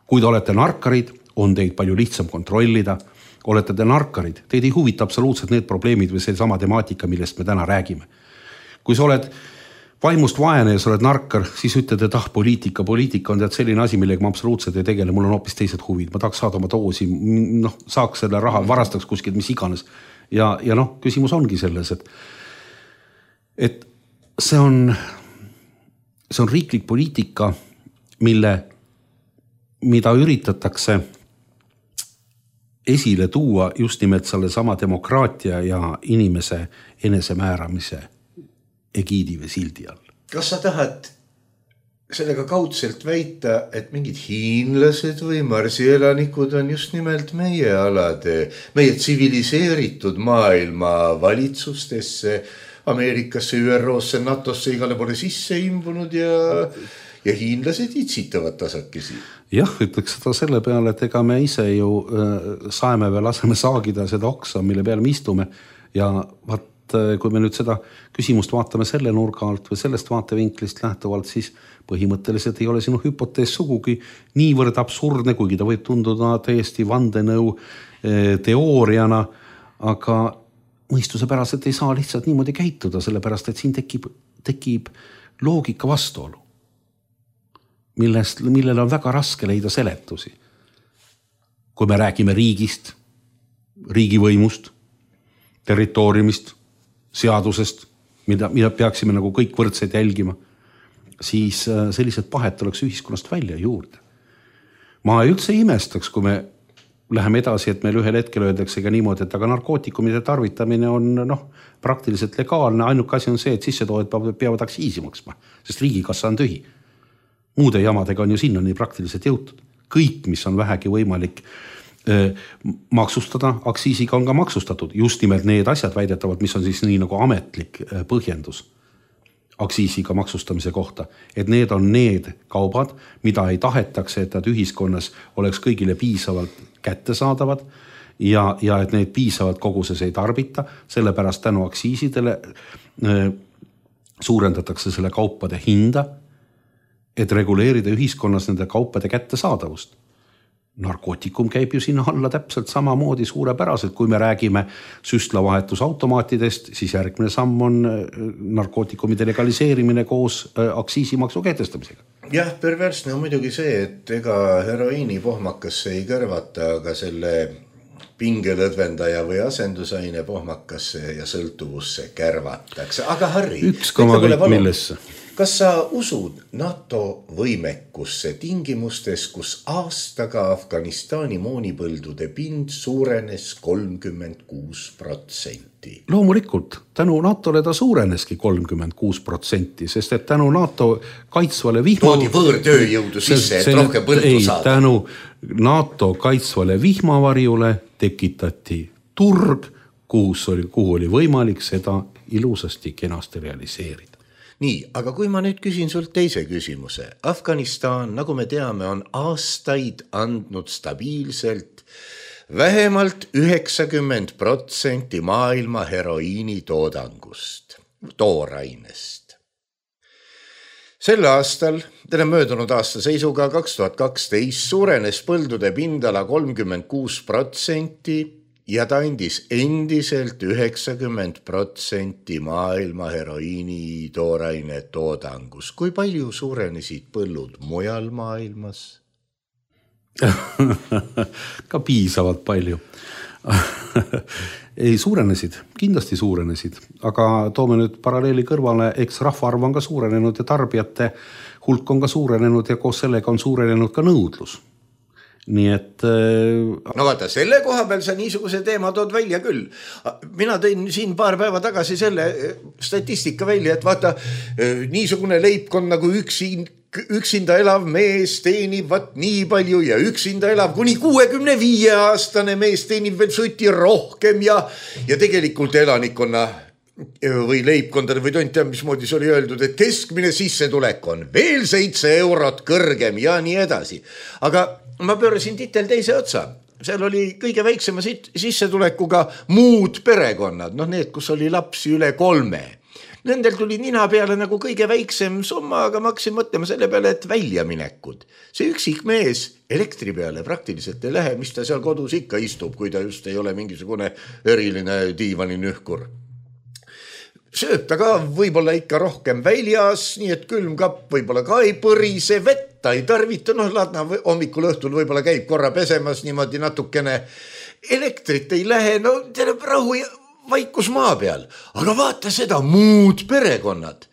Kui te olete narkarid, on teid palju lihtsam kontrollida. Olete te narkarid, teid ei huvita absoluutselt need probleemid või see sama temaatika, millest me täna räägime. Kui sa oled vaimust vaene ja sa oled narkar, siis ütled, et poliitika on tead selline asi, millega ma absoluutselt ei tegele, mul on hoopis teised huvid, ma tahaks saada oma doosi, saaks selle raha, varastaks kuskilt, mis iganes. Ja küsimus ongi selles, et see on riiklik poliitika, mida üritatakse esile tuua just nimelt selle sama demokraatia ja inimese enesemääramise egiidi või sildi all. Kas sa tahad sellega kaudselt väita, et mingid hiinlased või marsielanikud on just nimelt meie alade, meie tsiviliseeritud maailma valitsustesse, Ameerikasse, ÜROsse, NATOsse igale poole sisse imbunud ja hiinlased itsitavad tasakesi? Jah, ütleks seda selle peale, et ega me ise ju saeme või laseme saagida seda oksa, mille peale me istume ja kui me nüüd seda küsimust vaatame selle nurga alt või sellest vaatevinklist lähtuvalt, siis põhimõtteliselt ei ole sinu hüpotees sugugi niivõrd absurdne, kuigi ta võib tunduda täiesti vandenõu teooriana, aga mõistuse päraselt ei saa lihtsalt niimoodi käituda, sellepärast et siin tekib loogika vastuolu, millele on väga raske leida seletusi. Kui me räägime riigist, riigivõimust, territooriumist, seadusest, mida peaksime nagu kõik võrdselt jälgima, siis sellised pahet oleks ühiskonnast välja juurde. Ma üldse imestaks, kui me läheme edasi, et meil ühel hetkel öeldakse ka niimoodi, et aga narkootikumide tarvitamine on praktiliselt legaalne, ainuke asi on see, et sissetoojad peavad aktsiisi maksma, sest riigikassa on tühi. Muude jamadega on ju sinnani praktiliselt jõutud. Kõik, mis on vähegi võimalik maksustada, aktsiisiga on ka maksustatud. Just nimelt need asjad väidetavad, mis on siis nii nagu ametlik põhjendus aktsiisiga maksustamise kohta. Et need on need kaubad, mida ei tahetakse, et nad ühiskonnas oleks kõigile piisavalt kättesaadavad ja et need piisavalt koguses ei tarbita. Sellepärast tänu aktsiisidele suurendatakse selle kaupade hinda, et reguleerida ühiskonnas nende kaupade kättesaadavust. Narkootikum käib ju sinna alla täpselt samamoodi suurepäraselt, kui me räägime süstlavahetusautomaatidest, siis järgmine samm on narkootikumide legaliseerimine koos aktsiisimaksu kehtestamisega. Jah, perversne on muidugi see, et ega heroiini pohmakasse ei kõrvata, aga selle pingelõdvendaja või asendusaine pohmakasse ja sõltuvusse kärvatakse. Aga Harri, üks koma kõik millesse. Kas sa usud NATO võimekusse tingimustes, kus aastaga Afganistani moonipõldude pind suurenes 36%? Loomulikult, tänu NATO-le ta suureneski 36%, sest et tänu NATO kaitsvale toodi võõrtööjõudu sisse, et rohkem põldu saada. Tänu NATO kaitsvale vihmavarjule tekitati turg, kuhu oli võimalik seda ilusasti kenasti realiseerida. Nii, aga kui ma nüüd küsin sult teise küsimuse. Afganistan, nagu me teame, on aastaid andnud stabiilselt vähemalt 90% maailma heroiini toodangust, toorainest. Sel aastal, möödunud aasta seisuga 2012, suurenes põldude pindala 36%, ja ta andis endiselt 90% maailma heroiini tooraine toodangus. Kui palju suurenesid põllud mujal maailmas? Ka piisavalt palju. Ei, suurenesid, kindlasti suurenesid, aga toome nüüd paralleeli kõrvale, eks rahvaarv on ka suurenenud ja tarbijate hulk on ka suurenenud ja koos sellega on suurenenud ka nõudlus. Nii et... No vaata, selle koha peal sa niisuguse teema tood välja küll. Mina tõin siin paar päeva tagasi selle statistika välja, et vaata, niisugune leibkond nagu üksinda elav mees teenib nii palju ja üksinda elav kuni 65-aastane mees teenib veel suti rohkem ja tegelikult elanikkonna või leibkondade või tonti, mismoodi see oli öeldud, et keskmine sissetulek on veel 7 eurot kõrgem ja nii edasi. Aga ma pöörasin titel teise otsa. Seal oli kõige väiksema sissetulekuga muud perekonnad, need, kus oli lapsi üle 3. Nendel tuli nina peale nagu kõige väiksem summa, aga ma hakkasin mõtlema selle peale, et väljaminekud. See üksik mees elektri peale praktiliselt ei lähe, mis ta seal kodus ikka istub, kui ta just ei ole mingisugune eriline diivaninühkur. Sööb ta ka võib-olla ikka rohkem väljas, nii et külmkapp võib-olla ka ei põrise, vett ta ei tarvita, ladna hommikul õhtul võib-olla käib korra pesemas niimoodi natukene. Elektrit ei lähe, teile rahu ja vaikus maa peal. Aga vaata seda muud perekonnad.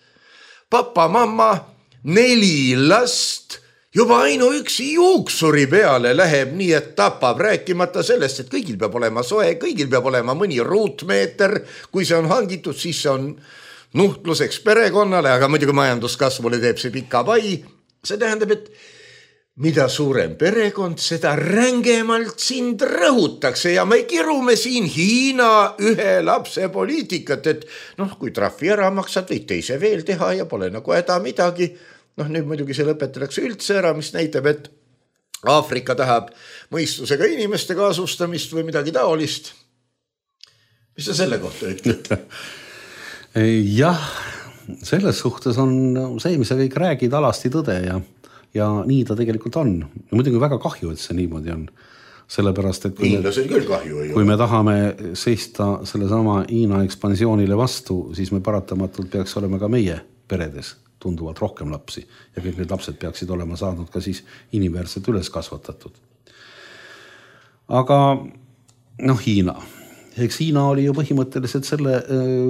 Papa, mamma, 4 last, juba ainuüksi juuksuri peale läheb nii, et tapab, rääkimata sellest, et kõigil peab olema soe, kõigil peab olema mõni ruutmeeter, kui see on hangitud, siis see on nuhtluseks perekonnale, aga muidugi majanduskasvule teeb see pika pai. See tähendab, et mida suurem perekond, seda rängemalt sind rõhutakse ja me kirume siin Hiina 1 lapse poliitikat, et kui trahvi ära maksad, võid teise veel teha ja pole nagu häda midagi. Nüüd muidugi see lõpetatakse üldse ära, mis näitab, et Aafrika tahab mõistusega inimeste kaasustamist või midagi taolist. Mis sa selle kohta ütled? Jah, selles suhtes on see, mis sa kõik räägid, alasti tõde ja nii ta tegelikult on. Muidugi väga kahju, et see niimoodi on. Sellepärast, et kui me tahame seista sellesama Hiina ekspansioonile vastu, siis me paratamatult peaks olema ka meie peredes tunduvalt rohkem lapsi ja kõik need lapsed peaksid olema saanud ka siis inimväärselt üles kasvatatud. Aga Hiina. Eks Hiina oli ju põhimõtteliselt selle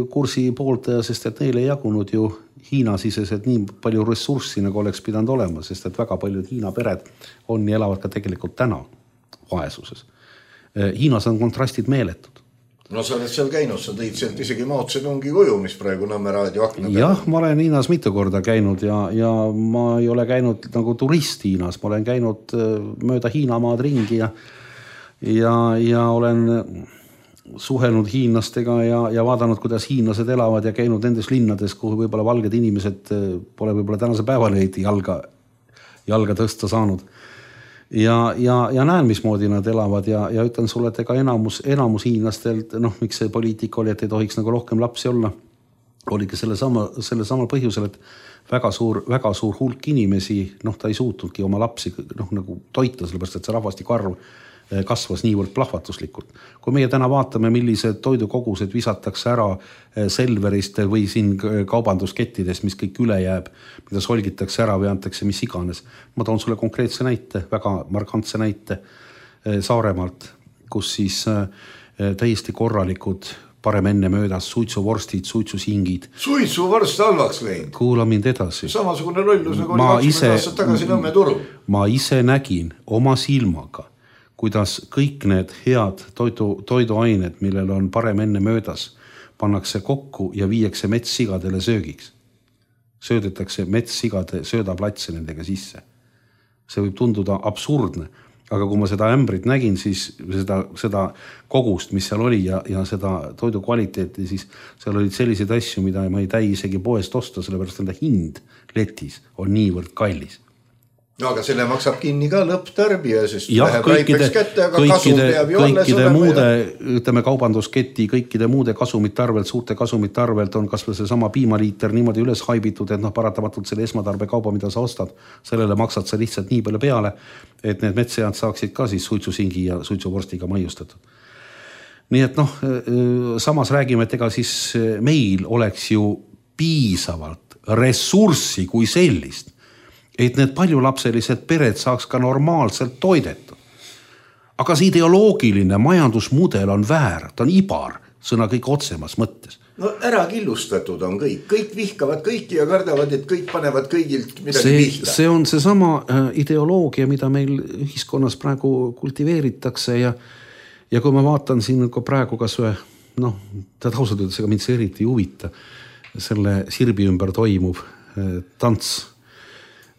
kursi pooltaja, sest et neile ei jagunud ju Hiina-siseselt nii palju ressurssi, nagu oleks pidanud olema, sest et väga paljud Hiina pered on ja elavad ka tegelikult täna vaesuses. Hiinas on kontrastid meeletud. No sa oled seal käinud, sa tõid sealt isegi Mao Zedongi kuju, mis praegu Nõmme raadio akna peal. Jah, ma olen Hiinas mitu korda käinud ja ma ei ole käinud nagu turist Hiinas, ma olen käinud mööda Hiinamaad ringi ja olen suhelnud hiinlastega ja vaadanud, kuidas hiinlased elavad ja käinud nendes linnades, kuhu võib-olla valged inimesed pole võib-olla tänase päevale jalga tõsta saanud. Ja näen, mismoodi nad elavad ja ütlen sulle, et ega enamus hiinlastelt, miks see poliitika oli, et ei tohiks nagu rohkem lapsi olla, oligi selle sama põhjusel, et väga suur hulk inimesi, ta ei suutnudki oma lapsi nagu toita, sellepärast, et see rahvastiku arv kasvas niivõrd plahvatuslikult. Kui meie täna vaatame, millised toidukogused visatakse ära Selverist või siin kaubanduskettides, mis kõik üle jääb, mida solgitakse ära või antakse mis iganes. Ma toon sulle konkreetse näite, väga markantse näite Saaremaalt, kus siis täiesti korralikud parem enne möödas, suitsuvorstid, suitsusingid. Suitsuvorst halvaks läinud. Kuula mind edasi. Samasugune lollus nagu oli 20 aastat tagasi Nõmme turul. Ma ise nägin oma silmaga, kuidas kõik need head toiduained, millel on parem enne möödas, pannakse kokku ja viiakse metssigadele söögiks. Söödetakse metssigade söödaplatse nendega sisse. See võib tunduda absurdne, aga kui ma seda ämbrit nägin, siis seda kogust, mis seal oli ja seda toidu kvaliteeti, siis seal olid selliseid asju, mida ma ei täi isegi poest osta, sellepärast enda hind letis on niivõrd kallis. No aga selle maksab kinni ka lõpptarbija, sest ja, läheb raipeks kätte, aga kasum peab ju alles olema. Ütleme, kaubandusketi, kõikide muude kasumite arvelt, suurte kasumite arvelt on kas või see sama piimaliiter niimoodi üles haibitud, et paratamatult selle esmatarbe kauba, mida sa ostad, sellele maksad sa lihtsalt nii palju peale, et need metssead saaksid ka siis suitsusingi ja suitsuvorstiga maiustatud. Nii et samas räägime, et ega siis meil oleks ju piisavalt ressurssi kui sellist, et need paljulapselised pered saaks ka normaalselt toidetud. Aga see ideoloogiline majandusmudel on väär, ta on ibar, sõna kõik otsemas mõttes. No ära killustatud on kõik vihkavad kõiki ja kardavad, et kõik panevad kõigilt midagi pihta. See on see sama ideoloogia, mida meil ühiskonnas praegu kultiveeritakse ja kui ma vaatan siin praegu kas või, ta tausalt ütles, ega mind see eriti huvita, selle sirbi ümber toimuv tants.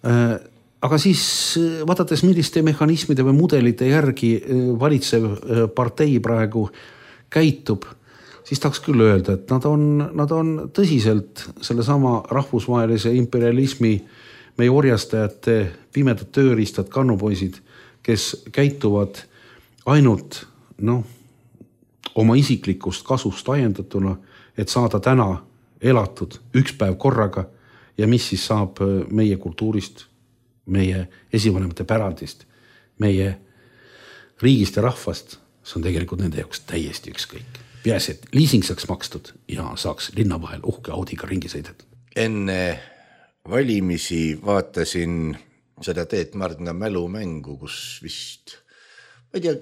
Aga siis vaadates, milliste mehhanismide või mudelite järgi valitsev partei praegu käitub, siis tahaks küll öelda, et nad on tõsiselt selle sama rahvusvahelise imperialismi meie orjastajate pimedad tööriistad, kannupoisid, kes käituvad ainult oma isiklikust kasust ajendatuna, et saada täna elatud üks päev korraga ja mis siis saab meie kultuurist, meie esivanemate pärandist, meie riigist ja rahvast, see on tegelikult nende jaoks täiesti ükskõik. Peaasi, et liising saaks makstud ja saaks linna vahel uhke Audiga ringi sõidetud. Enne valimisi vaatasin seda Teet Mardna mälumängu, kus vist, ma ei tea,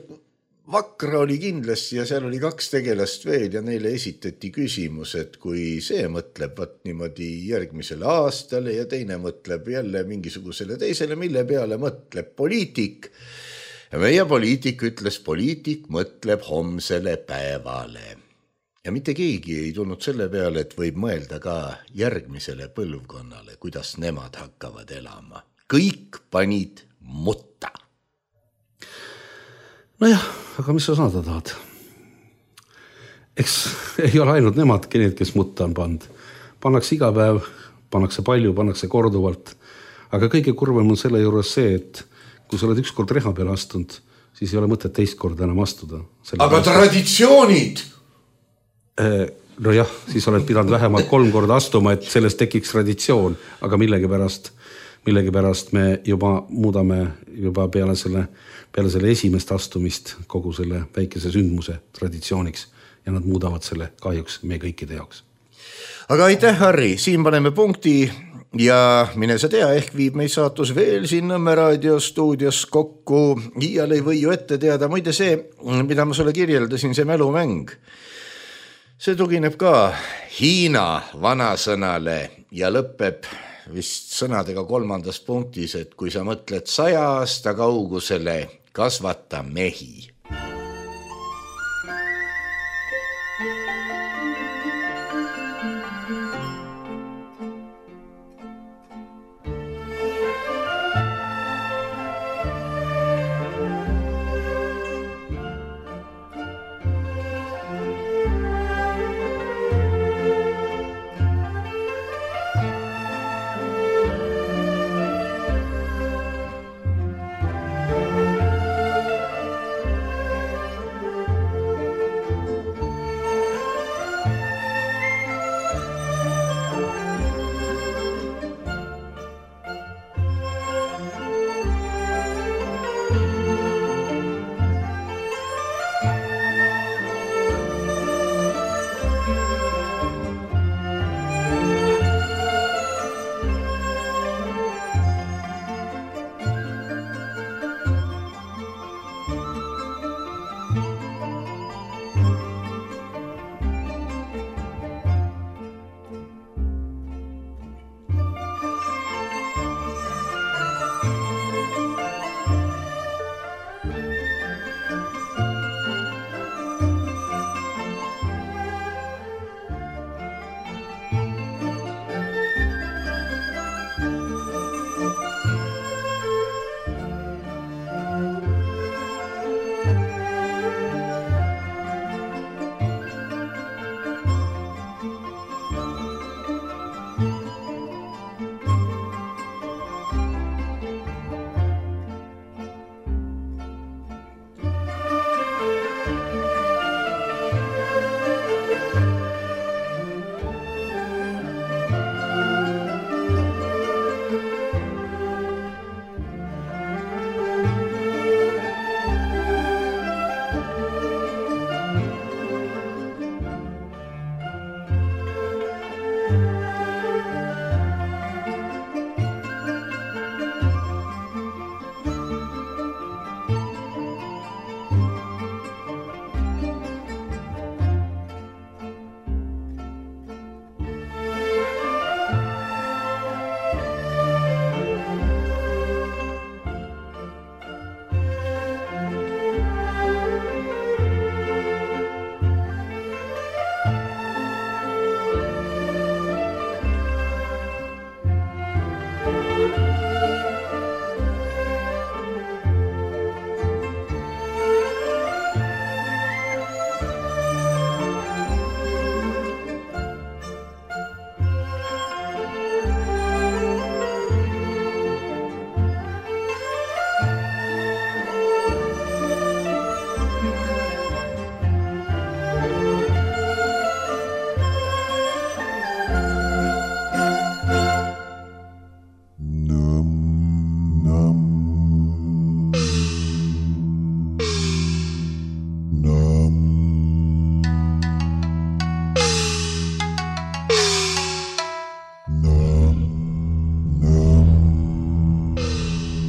Vakra oli kindlasti ja seal oli 2 tegelast veel ja neile esitati küsimus, et kui see mõtleb niimoodi järgmisele aastale ja teine mõtleb jälle mingisugusele teisele, mille peale mõtleb poliitik. Ja meie poliitik ütles, poliitik mõtleb homsele päevale. Ja mitte keegi ei tulnud selle peale, et võib mõelda ka järgmisele põlvkonnale, kuidas nemad hakkavad elama. Kõik panid mutta. Nojah, aga mis sa saada tahad? Eks ei ole ainult nemadki need, kes mutta on pand. Pannakse iga päev, pannakse palju, pannakse korduvalt. Aga kõige kurvem on selle juures see, et kui sa oled üks kord reha peale astunud, siis ei ole mõtet teist korda enam astuda. Aga traditsioonid! Nojah, siis oled pidanud vähemalt 3 korda astuma, et sellest tekiks traditsioon. Aga millegipärast me juba muudame juba peale selle esimest astumist kogu selle väikese sündmuse traditsiooniks ja nad muudavad selle kahjuks meie kõikide jaoks. Aga aitäh, Harri, siin paneme punkti ja mine sa tea, ehk viib meid saatus veel siin Nõmme Raadio stuudios kokku. Iial ei või ju ette teada, muide see, mida ma sulle kirjeldasin, see mälumäng. See tugineb ka Hiina vanasõnale ja lõpeb vist sõnadega 3. punktis, et kui sa mõtled 100 aasta kaugusele, kasvata mehi.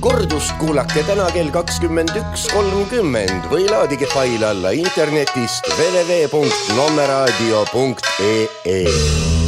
kordust kuulake täna kell 21.30 või laadige fail alla internetist www.nommeradio.ee.